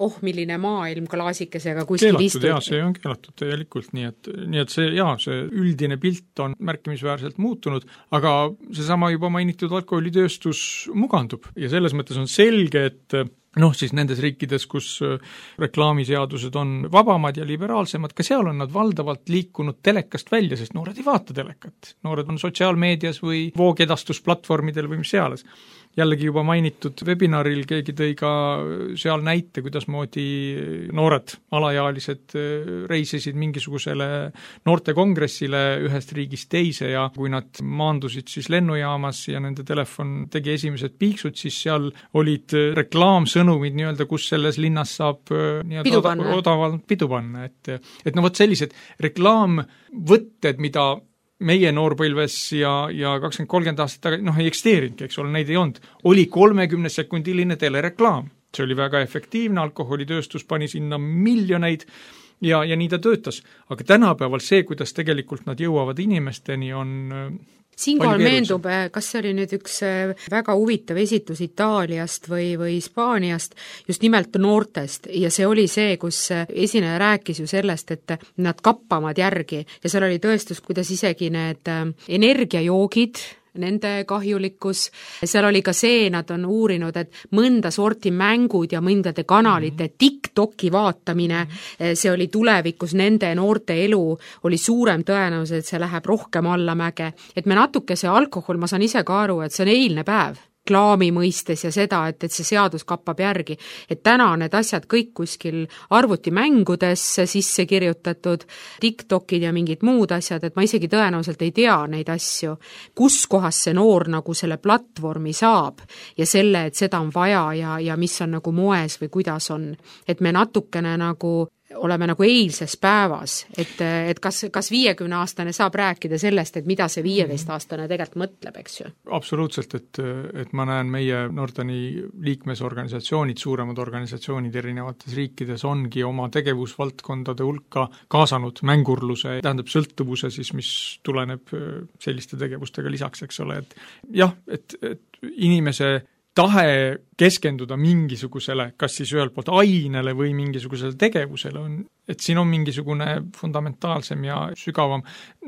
oh, milline maailm klaasikesega kuskil keelatud, istud. Jaa, see on keelatud tegelikult, nii et, nii et see, jaa, see üldine pilt on märkimisväärselt muutunud, aga seesama juba mainitud alkoholitööstus mugandub ja selles mõttes on selge, et noh, siis nendes riikides, kus reklaamiseadused on vabamad ja liberaalsemad, ka seal on nad valdavalt liikunud telekast välja, sest noored ei vaata telekat. Noored on sotsiaalmeedias või voogedastusplatvormidel või mis seales. Jällegi juba mainitud webinaril keegi tõi ka seal näite, kuidas moodi noored alajaalised reisisid mingisugusele noortekongressile ühest riigist teise ja kui nad maandusid siis lennujaamas ja nende telefon tegi esimesed piiksud, siis seal olid reklaamsõnumid nii-öelda, kus selles linnas saab pidu panna. odavalt pidu panna. Et, et no vot sellised reklaamvõtted, mida meie noorpõlves ja, ja kakskümmend kolmkümmend aastat tagasi, noh ei eksisteerinudki, eks ole, neid ei olnud. Oli kolmekümne sekundiline telereklaam. See oli väga efektiivne, alkoholitööstus pani sinna miljoneid ja, ja nii ta töötas. Aga tänapäeval see, kuidas tegelikult nad jõuavad inimesteni, on siinkohal meendub, kas see oli nüüd üks väga huvitav esitus Itaaliast või, või Hispaaniast, just nimelt noortest ja see oli see, kus esineja rääkis ju sellest, et nad kappavad järgi ja seal oli tõestus, kuidas isegi need energiajoogid, nende kahjulikkus, seal oli ka see, nad on uurinud, et mõnda sorti mängud ja mõndade kanalite mm-hmm. TikToki vaatamine, mm-hmm. see oli tulevikus nende noorte elu, oli suurem tõenäosus, et see läheb rohkem allamäge, et me natuke see alkohol, ma saan ise ka aru, et see on eilne päev, klaami mõistes ja seda, et, et see seadus kappab järgi. Et täna need asjad kõik kuskil arvutimängudes sisse kirjutatud, TikTokid ja mingid muud asjad, et ma isegi tõenäoliselt ei tea neid asju. Kus kohas see noor nagu selle platvormi saab ja selle, et seda on vaja ja, ja mis on nagu moes või kuidas on. Et me natukene nagu oleme nagu eilses päevas, et, et kas, kas viiekümne aastane saab rääkida sellest, et mida see viieteist aastane tegelikult mõtleb, eks ju? Absoluutselt, et, et ma näen meie Nordani liikmesorganisatsioonid, suuremad organisatsioonid erinevates riikides ongi oma tegevusvaldkondade hulka kaasanud mängurluse, tähendab sõltuvuse siis, mis tuleneb selliste tegevustega lisaks, eks ole, et jah, et, et inimese tahe keskenduda mingisugusele, kas siis ühelt poolt ainele või mingisugusele tegevusele on, et siin on mingisugune fundamentaalsem ja sügavam,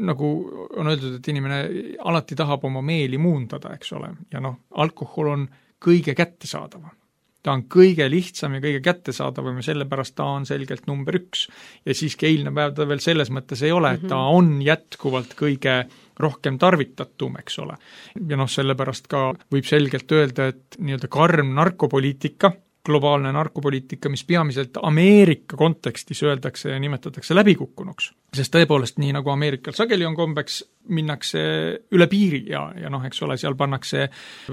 nagu on öeldud, et inimene alati tahab oma meeli muundada, eks ole, ja noh, alkohol on kõige kättesaadavam. Ta on kõige lihtsam ja kõige kättesaadavam ja sellepärast ta on selgelt number üks. Ja siiski eilne päev ta veel selles mõttes ei ole, et ta on jätkuvalt kõige rohkem tarvitatum, eks ole. Ja noh, sellepärast ka võib selgelt öelda, et nii-öelda karm narkopoliitika, globaalne narkopoliitika, mis peamiselt Ameerika kontekstis öeldakse ja nimetatakse läbikukkunuks. Sest tõepoolest nii nagu Ameerikal sageli on kombeks, minnakse üle piiri ja, ja noh, eks ole, seal pannakse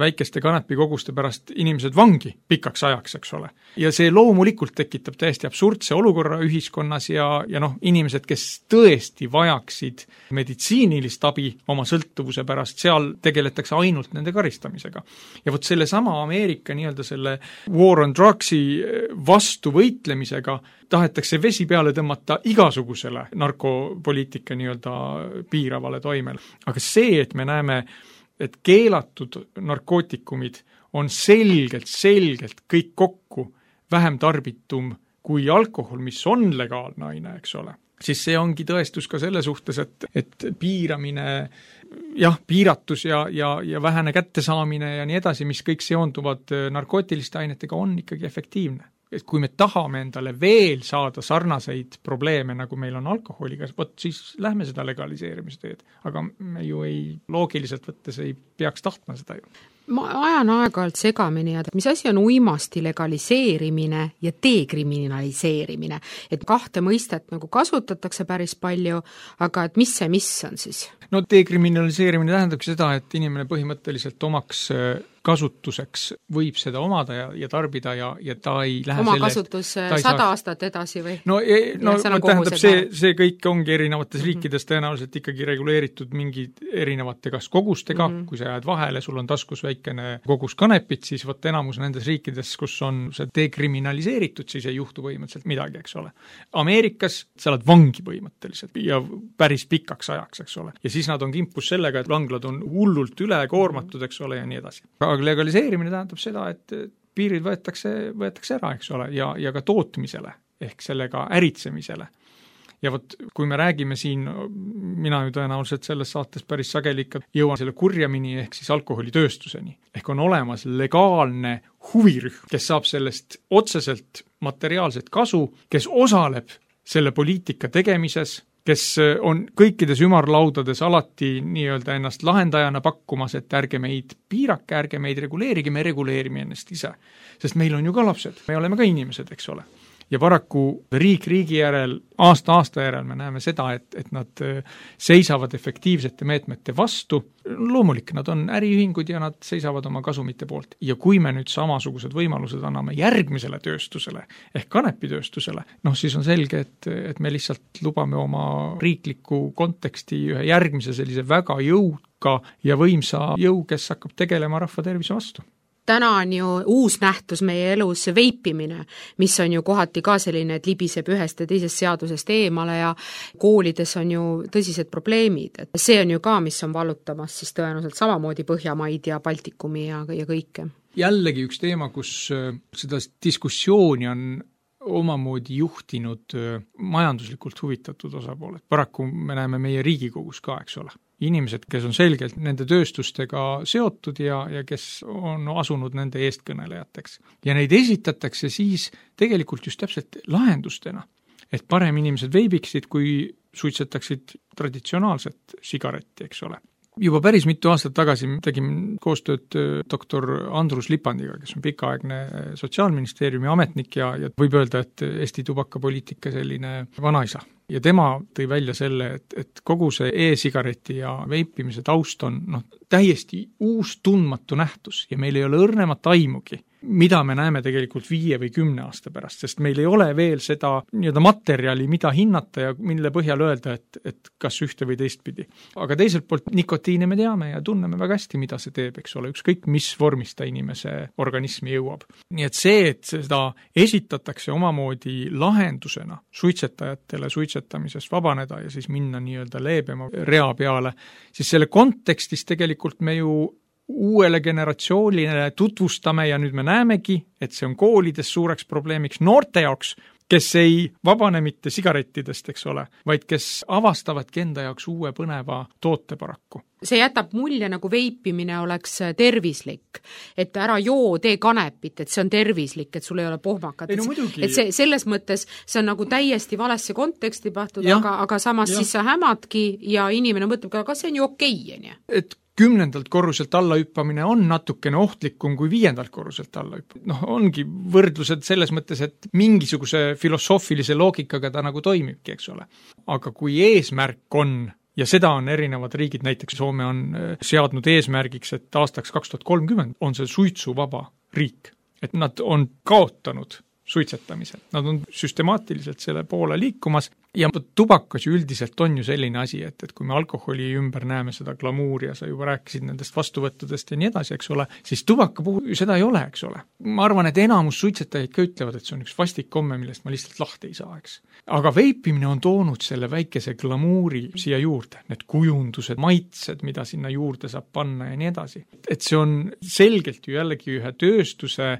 väikeste kanepikoguste pärast inimesed vangi pikaks ajaks, eks ole. Ja see loomulikult tekitab täiesti absurdse olukorra ühiskonnas ja, ja noh, inimesed, kes tõesti vajaksid meditsiinilist abi oma sõltuvuse pärast, seal tegeletakse ainult nende karistamisega. Ja vot selle sama Ameerika nii-öelda selle war on drugsi vastu võitlemisega tahetakse vesi peale tõmmata igasugusele narkopoliitika nii-öelda piiravale toimele. Aga see, et me näeme, et keelatud narkootikumid on selgelt, selgelt kõik kokku vähem tarbitum kui alkohol, mis on legaalne aine, eks ole, siis see ongi tõestus ka selle suhtes, et, et piiramine, jah, piiratus ja, ja, ja vähene kättesaamine ja nii edasi, mis kõik seonduvad narkootiliste ainetega, on ikkagi efektiivne. Et kui me tahame endale veel saada sarnaseid probleeme, nagu meil on alkoholiga, võt, siis lähme seda legaliseerimise teed. Aga me ju ei, loogiliselt võttes ei peaks tahtma seda ju. Ma ajan aeg-ajalt segamini, et mis asi on uimasti legaliseerimine ja dekriminaliseerimine. Et kahte mõistet nagu kasutatakse päris palju, aga et mis see mis on siis? No dekriminaliseerimine tähendabki seda, et inimene põhimõtteliselt omaks kasutuseks võib seda omada ja, ja tarbida ja, ja ta ei lähe oma selle kasutus sada saaks... aastat edasi või? No, e, no ja, tähendab, see, see kõik ongi erinevates mm -hmm. riikides tõenäoliselt ikkagi reguleeritud mingi erinevate kas kogustega, mm -hmm. kui sa jääd vahele, sul on taskus väikene kogus kanepit, siis võtta enamus nendes riikides, kus on see dekriminaliseeritud, siis ei juhtu põhimõtteliselt midagi, eks ole. Ameerikas sa oled vangi põhimõtteliselt ja päris pikaks ajaks, eks ole. Ja siis nad on kimpus sellega, et vanglad on hullult ülekoormatud, eks ole, ja nii edasi. Aga legaliseerimine tähendab seda, et piirid võetakse, võetakse ära, eks ole, ja, ja ka tootmisele ehk sellega äritsemisele. Ja vot, kui me räägime siin, mina ju tõenäoliselt selles saates päris sageli ikka jõuan selle kurjamini ehk siis alkoholitööstuseni. Ehk on olemas legaalne huvirühm, kes saab sellest otseselt materiaalset kasu, kes osaleb selle poliitika tegemises, kes on kõikides ümarlaudades alati nii-öelda ennast lahendajana pakkumas, et ärge meid piirake, ärge meid reguleerige, me reguleerime ennast ise. Sest meil on ju ka lapsed, me oleme ka inimesed, eks ole. Ja paraku riik riigi järel, aasta aasta järel me näeme seda, et, et nad seisavad efektiivsete meetmete vastu. Loomulik, nad on äriühingud ja nad seisavad oma kasumite poolt. Ja kui me nüüd samasugused võimalused anname järgmisele tööstusele ehk kanepitööstusele, noh siis on selge, et, et me lihtsalt lubame oma riikliku konteksti ühe järgmise sellise väga jõuka ja võimsa jõu, kes hakkab tegelema rahva tervise vastu. Täna on ju uus nähtus meie elus veipimine, mis on ju kohati ka selline, et libiseb ühest ja teisest seadusest eemale ja koolides on ju tõsised probleemid. Et see on ju ka, mis on vallutamas siis tõenäoliselt samamoodi Põhjamaid ja Baltikumi ja, ja kõike. Jällegi üks teema, kus seda diskussiooni on omamoodi juhtinud majanduslikult huvitatud osapooled. Paraku me näeme meie Riigikogus ka, eks ole. Inimesed, kes on selgelt nende tööstustega seotud ja, ja kes on asunud nende eestkõnelejateks. Ja neid esitatakse siis tegelikult just täpselt lahendustena, et parem inimesed veibiksid, kui suitsetaksid traditsionaalset sigaretti, eks ole. Juba päris mitu aastat tagasi tegime koostööd doktor Andrus Lipandiga, kes on pikaaegne Sotsiaalministeeriumi ametnik ja, ja võib öelda, et Eesti tubakapoliitika selline vanaisa. Ja tema tõi välja selle, et, et kogu see e-sigareti ja veipimise taust on noh, täiesti uus tundmatu nähtus ja meil ei ole õrnemat aimugi, mida me näeme tegelikult viie või kümne aasta pärast, sest meil ei ole veel seda nii-öelda materjali, mida hinnata ja mille põhjal öelda, et, et kas ühte või teistpidi. Aga teiselt poolt nikotiine me teame ja tunneme väga hästi, mida see teeb, eks ole, ükskõik mis vormis ta inimese organismi jõuab. Nii et see, et seda esitatakse omamoodi lahendusena suitsetajatele suitsetamisest vabaneda ja siis minna nii-öelda leebema rea peale, siis selle kontekstis tegelikult me ju uuele generatsioonile tutvustame ja nüüd me näemegi, et see on koolides suureks probleemiks noorte jaoks, kes ei vabane mitte sigarettidest, eks ole, vaid kes avastavadki enda jaoks uue põneva toote paraku. See jätab mulje, nagu veipimine oleks tervislik, et ära joo, tee kanepit, et see on tervislik, et sul ei ole pohmakat. No, et see, selles mõttes see on nagu täiesti valesse konteksti pahtud, aga, aga samas ja. Siis sa hämadki ja inimene mõtleb, aga see on ju okei. Okay, et kümnendalt korruselt alla hüppamine on natukene ohtlikum kui viiendalt korruselt alla hüppamine. Noh, ongi võrdlused selles mõttes, et mingisuguse filosoofilise loogikaga ta nagu toimibki, eks ole. Aga kui eesmärk on, ja seda on erinevad riigid, näiteks Soome on seadnud eesmärgiks, et aastaks kaks tuhat kolmkümmend on see suitsuvaba riik. Et nad on kaotanud suitsetamise. Nad on süstemaatiliselt selle poole liikumas ja tubakas ju üldiselt on ju selline asi, et, et kui me alkoholi ümber näeme seda glamuuri ja sa juba rääkisid nendest vastuvõttudest ja nii edasi, eks ole, siis tubaka puhul ju seda ei ole, eks ole. Ma arvan, et enamus suitsetajaid ka ütlevad, et see on üks vastik komme, millest ma lihtsalt lahti ei saa, eks. Aga veipimine on toonud selle väikese glamuuri siia juurde, need kujundused, maitsed, mida sinna juurde saab panna ja nii edasi. Et see on selgelt ju jällegi ühe tööstuse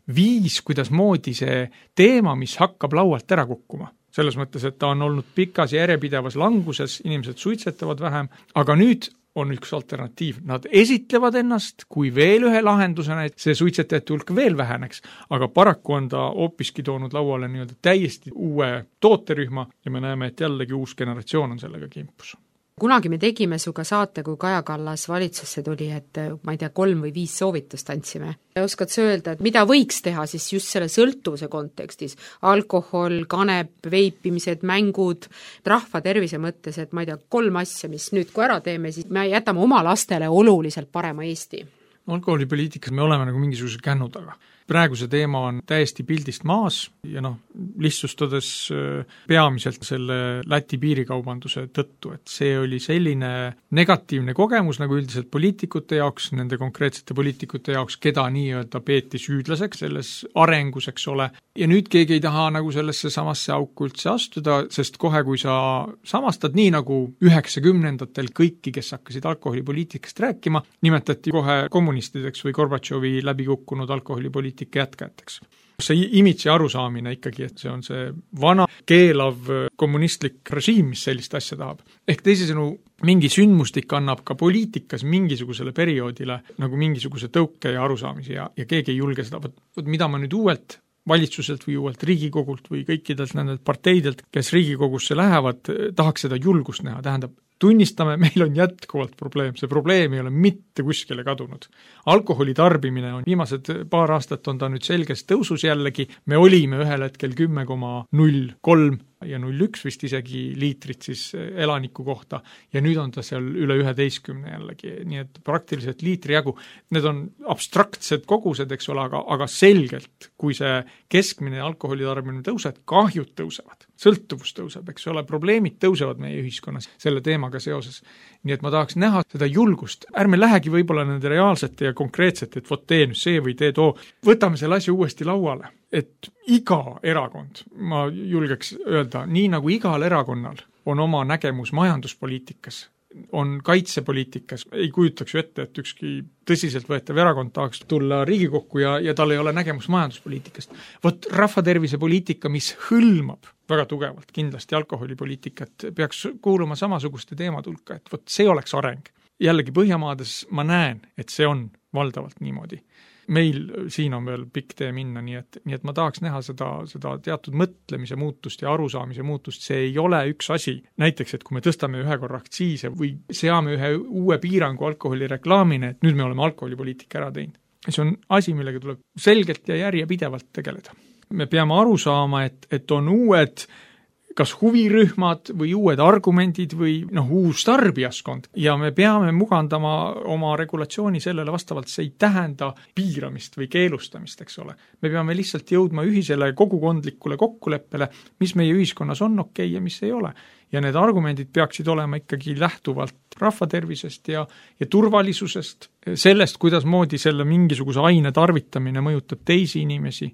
viis, kuidas moodi see teema, mis hakkab laualt ära kukkuma. Selles mõttes, et ta on olnud pikas ja järjepidevas languses, inimesed suitsetavad vähem, aga nüüd on üks alternatiiv. Nad esitlevad ennast kui veel ühe lahendusena, et see suitsetajate hulk veel väheneks, aga paraku on ta hoopiski toonud lauale nii-öelda täiesti uue tooterühma ja me näeme, et jällegi uus generatsioon on sellega kimpus. Kunagi me tegime suga saate, kui Kaja Kallas valitsusse tuli, et ma ei tea, kolm või viis soovitust andsime. Oskad sa öelda, et mida võiks teha siis just selle sõltuvuse kontekstis? Alkohol, kanep, veipimised, mängud, rahva tervise mõttes, et ma ei tea, kolm asja, mis nüüd kui ära teeme, siis me jätame oma lastele oluliselt parema Eesti. alkoholipoliitikas me oleme nagu mingisuguse kännu taga. Praegu see teema on täiesti pildist maas ja noh, lihtsustades peamiselt selle Läti piirikaubanduse tõttu, et see oli selline negatiivne kogemus nagu üldiselt poliitikute jaoks, nende konkreetsete poliitikute jaoks, keda nii-öelda peeti süüdlaseks selles arengus, eks ole. Ja nüüd keegi ei taha nagu sellesse samasse auku üldse astuda, sest kohe, kui sa samastad nii nagu üheksakümnendatel kõiki, kes hakkasid alkoholipoliitikast rääkima, nimetati kohe kommunistideks või Gorbatšovi läbikukkunud alkoholipoliitikast jätkajateks. See imitsi arusaamine ikkagi, et see on see vana keelav kommunistlik režiim, mis sellist asja tahab. Ehk teisisõnu, mingi sündmustik annab ka poliitikas mingisugusele perioodile nagu mingisuguse tõuke ja arusaamise ja, ja keegi ei julge seda, võt, võt, mida ma nüüd uuelt valitsuselt või uuelt Riigikogult või kõikidelt nendelt parteidelt, kes Riigikogusse lähevad, tahaks seda julgust näha, tähendab, tunnistame, meil on jätkuvalt probleem, see probleem ei ole mitte kuskile kadunud. Alkoholi tarbimine on viimased paar aastat on ta nüüd selges tõusus jällegi, me olime ühel hetkel kümme koma null kolm ja null üks vist isegi liitrit siis elaniku kohta ja nüüd on ta seal üle üheteistkümne jällegi, nii et praktiliselt liitri jagu. Need on abstraktsed kogused, eks ole, aga, aga selgelt, kui see keskmine alkoholi tarbimine tõuseb, kahjud tõusevad, sõltuvus tõuseb, eks ole, probleemid tõusevad meie ühiskonnas selle teemaga seoses. Nii et ma tahaks näha seda julgust, ärme lähegi võib-olla nende reaalsete ja konkreetsete, et vot tee nüüd see või tee too, võtame selle asja uuesti lauale, et iga erakond, ma julgeks öelda, nii nagu igal erakonnal on oma nägemus majanduspoliitikas, on kaitsepoliitikas, ei kujutaks ju ette, et ükski tõsiselt võetav erakond tahaks tulla Riigikokku ja, ja tal ei ole nägemus majanduspoliitikast. Vot rahvatervise poliitika, mis hõlmab väga tugevalt kindlasti alkoholipoliitikat, peaks kuuluma samasuguste teemad hulka, et vot see oleks areng. Jällegi Põhjamaades ma näen, et see on valdavalt niimoodi. Meil siin on veel pikk tee minna, nii et, nii et ma tahaks näha seda, seda teatud mõtlemise muutust ja arusaamise muutust, see ei ole üks asi. Näiteks, et kui me tõstame ühe korra aktsiise või seame ühe uue piirangu alkoholireklaamine, et nüüd me oleme alkoholipoliitika ära teinud. See on asi, millega tuleb selgelt ja järjepidevalt tegeleda. Me peame aru saama, et, et on uued kas huvirühmad või uued argumendid või noh, uus tarbijaskond ja me peame mugandama oma regulatsiooni sellele vastavalt, see ei tähenda piiramist või keelustamist, eks ole. Me peame lihtsalt jõudma ühisele kogukondlikule kokkuleppele, mis meie ühiskonnas on okei ja mis ei ole. Ja need argumendid peaksid olema ikkagi lähtuvalt rahvatervisest ja, ja turvalisusest, sellest, kuidas moodi selle mingisuguse aine tarvitamine mõjutab teisi inimesi.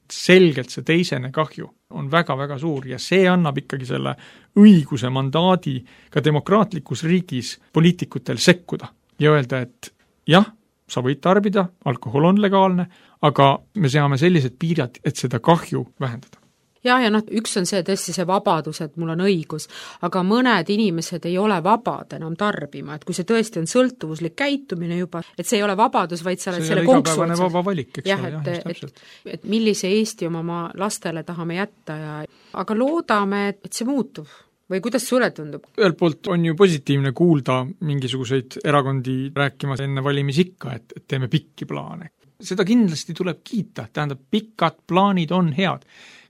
Selgelt see teisene kahju on väga-väga suur ja see annab ikkagi selle õiguse mandaadi ka demokraatlikus riigis poliitikutel sekkuda ja öelda, et jah, sa võid tarbida, alkohol on legaalne, aga me seame sellised piirjad, et seda kahju vähendada. Ja, ja noh, üks on see tõesti see vabadus, et mul on õigus, aga mõned inimesed ei ole vabad enam tarbima, et kui see tõesti on sõltuvuslik käitumine juba, et see ei ole vabadus, vaid sa oled selle konksu otsas. Vaba valik, eks jah, et, et, et, et millise Eesti oma ma lastele tahame jätta ja aga loodame, et see muutub. Või kuidas sulle tundub? Ühelt poolt on ju positiivne kuulda mingisuguseid erakondi rääkimas enne valimisikka, et, et teeme pikki plaane. Seda kindlasti tuleb kiita, tähendab, pikad plaanid on head.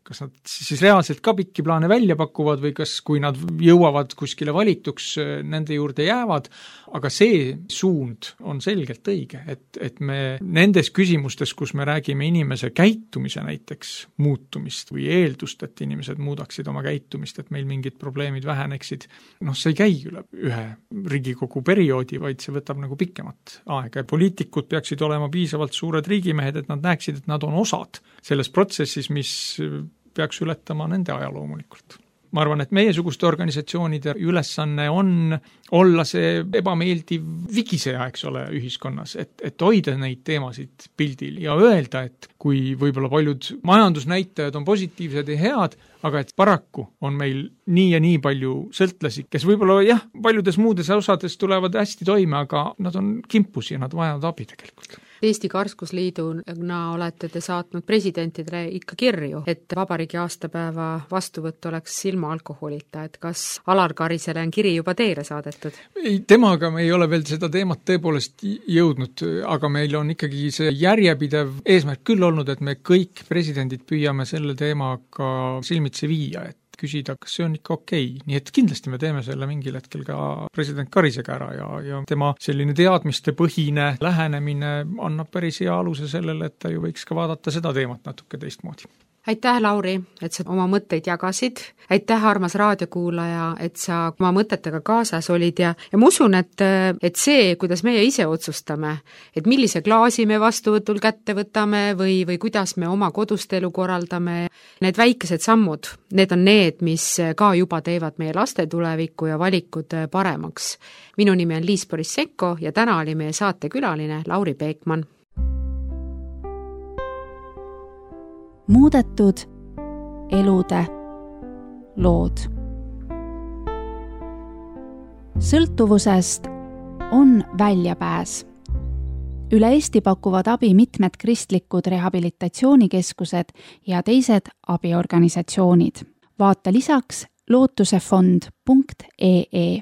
Kas nad siis reaalselt ka pikki plaane välja pakuvad või kas, kui nad jõuavad kuskile valituks, nende juurde jäävad, aga see suund on selgelt õige, et, et me nendes küsimustes, kus me räägime inimese käitumise näiteks muutumist või eeldust, et inimesed muudaksid oma käitumist, et meil mingid probleemid väheneksid, noh, see ei käi üle ühe Riigikogu perioodi, vaid see võtab nagu pikemat aega. Poliitikud peaksid olema piisavalt suured riigimehed, et nad näeksid, et nad on osad selles protsessis, mis peaks ületama nende aja loomulikult. Ma arvan, et meiesuguste organisatsioonide ülesanne on olla see ebameeldiv vigiseja, eks ole, ühiskonnas, et, et hoida neid teemasid pildil ja öelda, et kui võib-olla paljud majandusnäitajad on positiivsed ja head, aga et paraku on meil nii ja nii palju sõltlasi, kes võib-olla jah, paljudes muudes osades tulevad hästi toime, aga nad on kimpus ja nad vajavad abi tegelikult. Eesti Karskusliiduna olete te saatnud presidentidele ikka kirju, et vabariigi aastapäeva vastuvõtt oleks ilma alkoholita, et kas Alar Karisele on kiri juba teile saadetud? Ei, temaga me ei ole veel seda teemat tõepoolest jõudnud, aga meil on ikkagi see järjepidev eesmärk küll olnud, et me kõik presidendid püüame selle teemaga silmitsi viia, et küsida, kas see on ikka okei. Nii et kindlasti me teeme selle mingil hetkel ka president Karisega ära ja, ja tema selline teadmiste põhine lähenemine annab päris hea aluse sellele, et ta ju võiks ka vaadata seda teemat natuke teistmoodi. Aitäh, Lauri, et sa oma mõtteid jagasid. Aitäh, armas raadiokuulaja, et sa oma mõtetega kaasas olid ja, ja ma usun, et, et see, kuidas meie ise otsustame, et millise klaasi me vastuvõtul kätte võtame või, või kuidas me oma kodust elu korraldame, need väikesed sammud, need on need, mis ka juba teevad meie laste tulevikku ja valikud paremaks. Minu nimi on Liis Borissenko ja täna oli meie saatekülaline Lauri Peekman. Muudetud elude lood. Sõltuvusest on väljapääs. Üle Eesti pakuvad abi mitmed kristlikud rehabilitatsioonikeskused ja teised abiorganisatsioonid. Vaata lisaks lootusefond punkt ee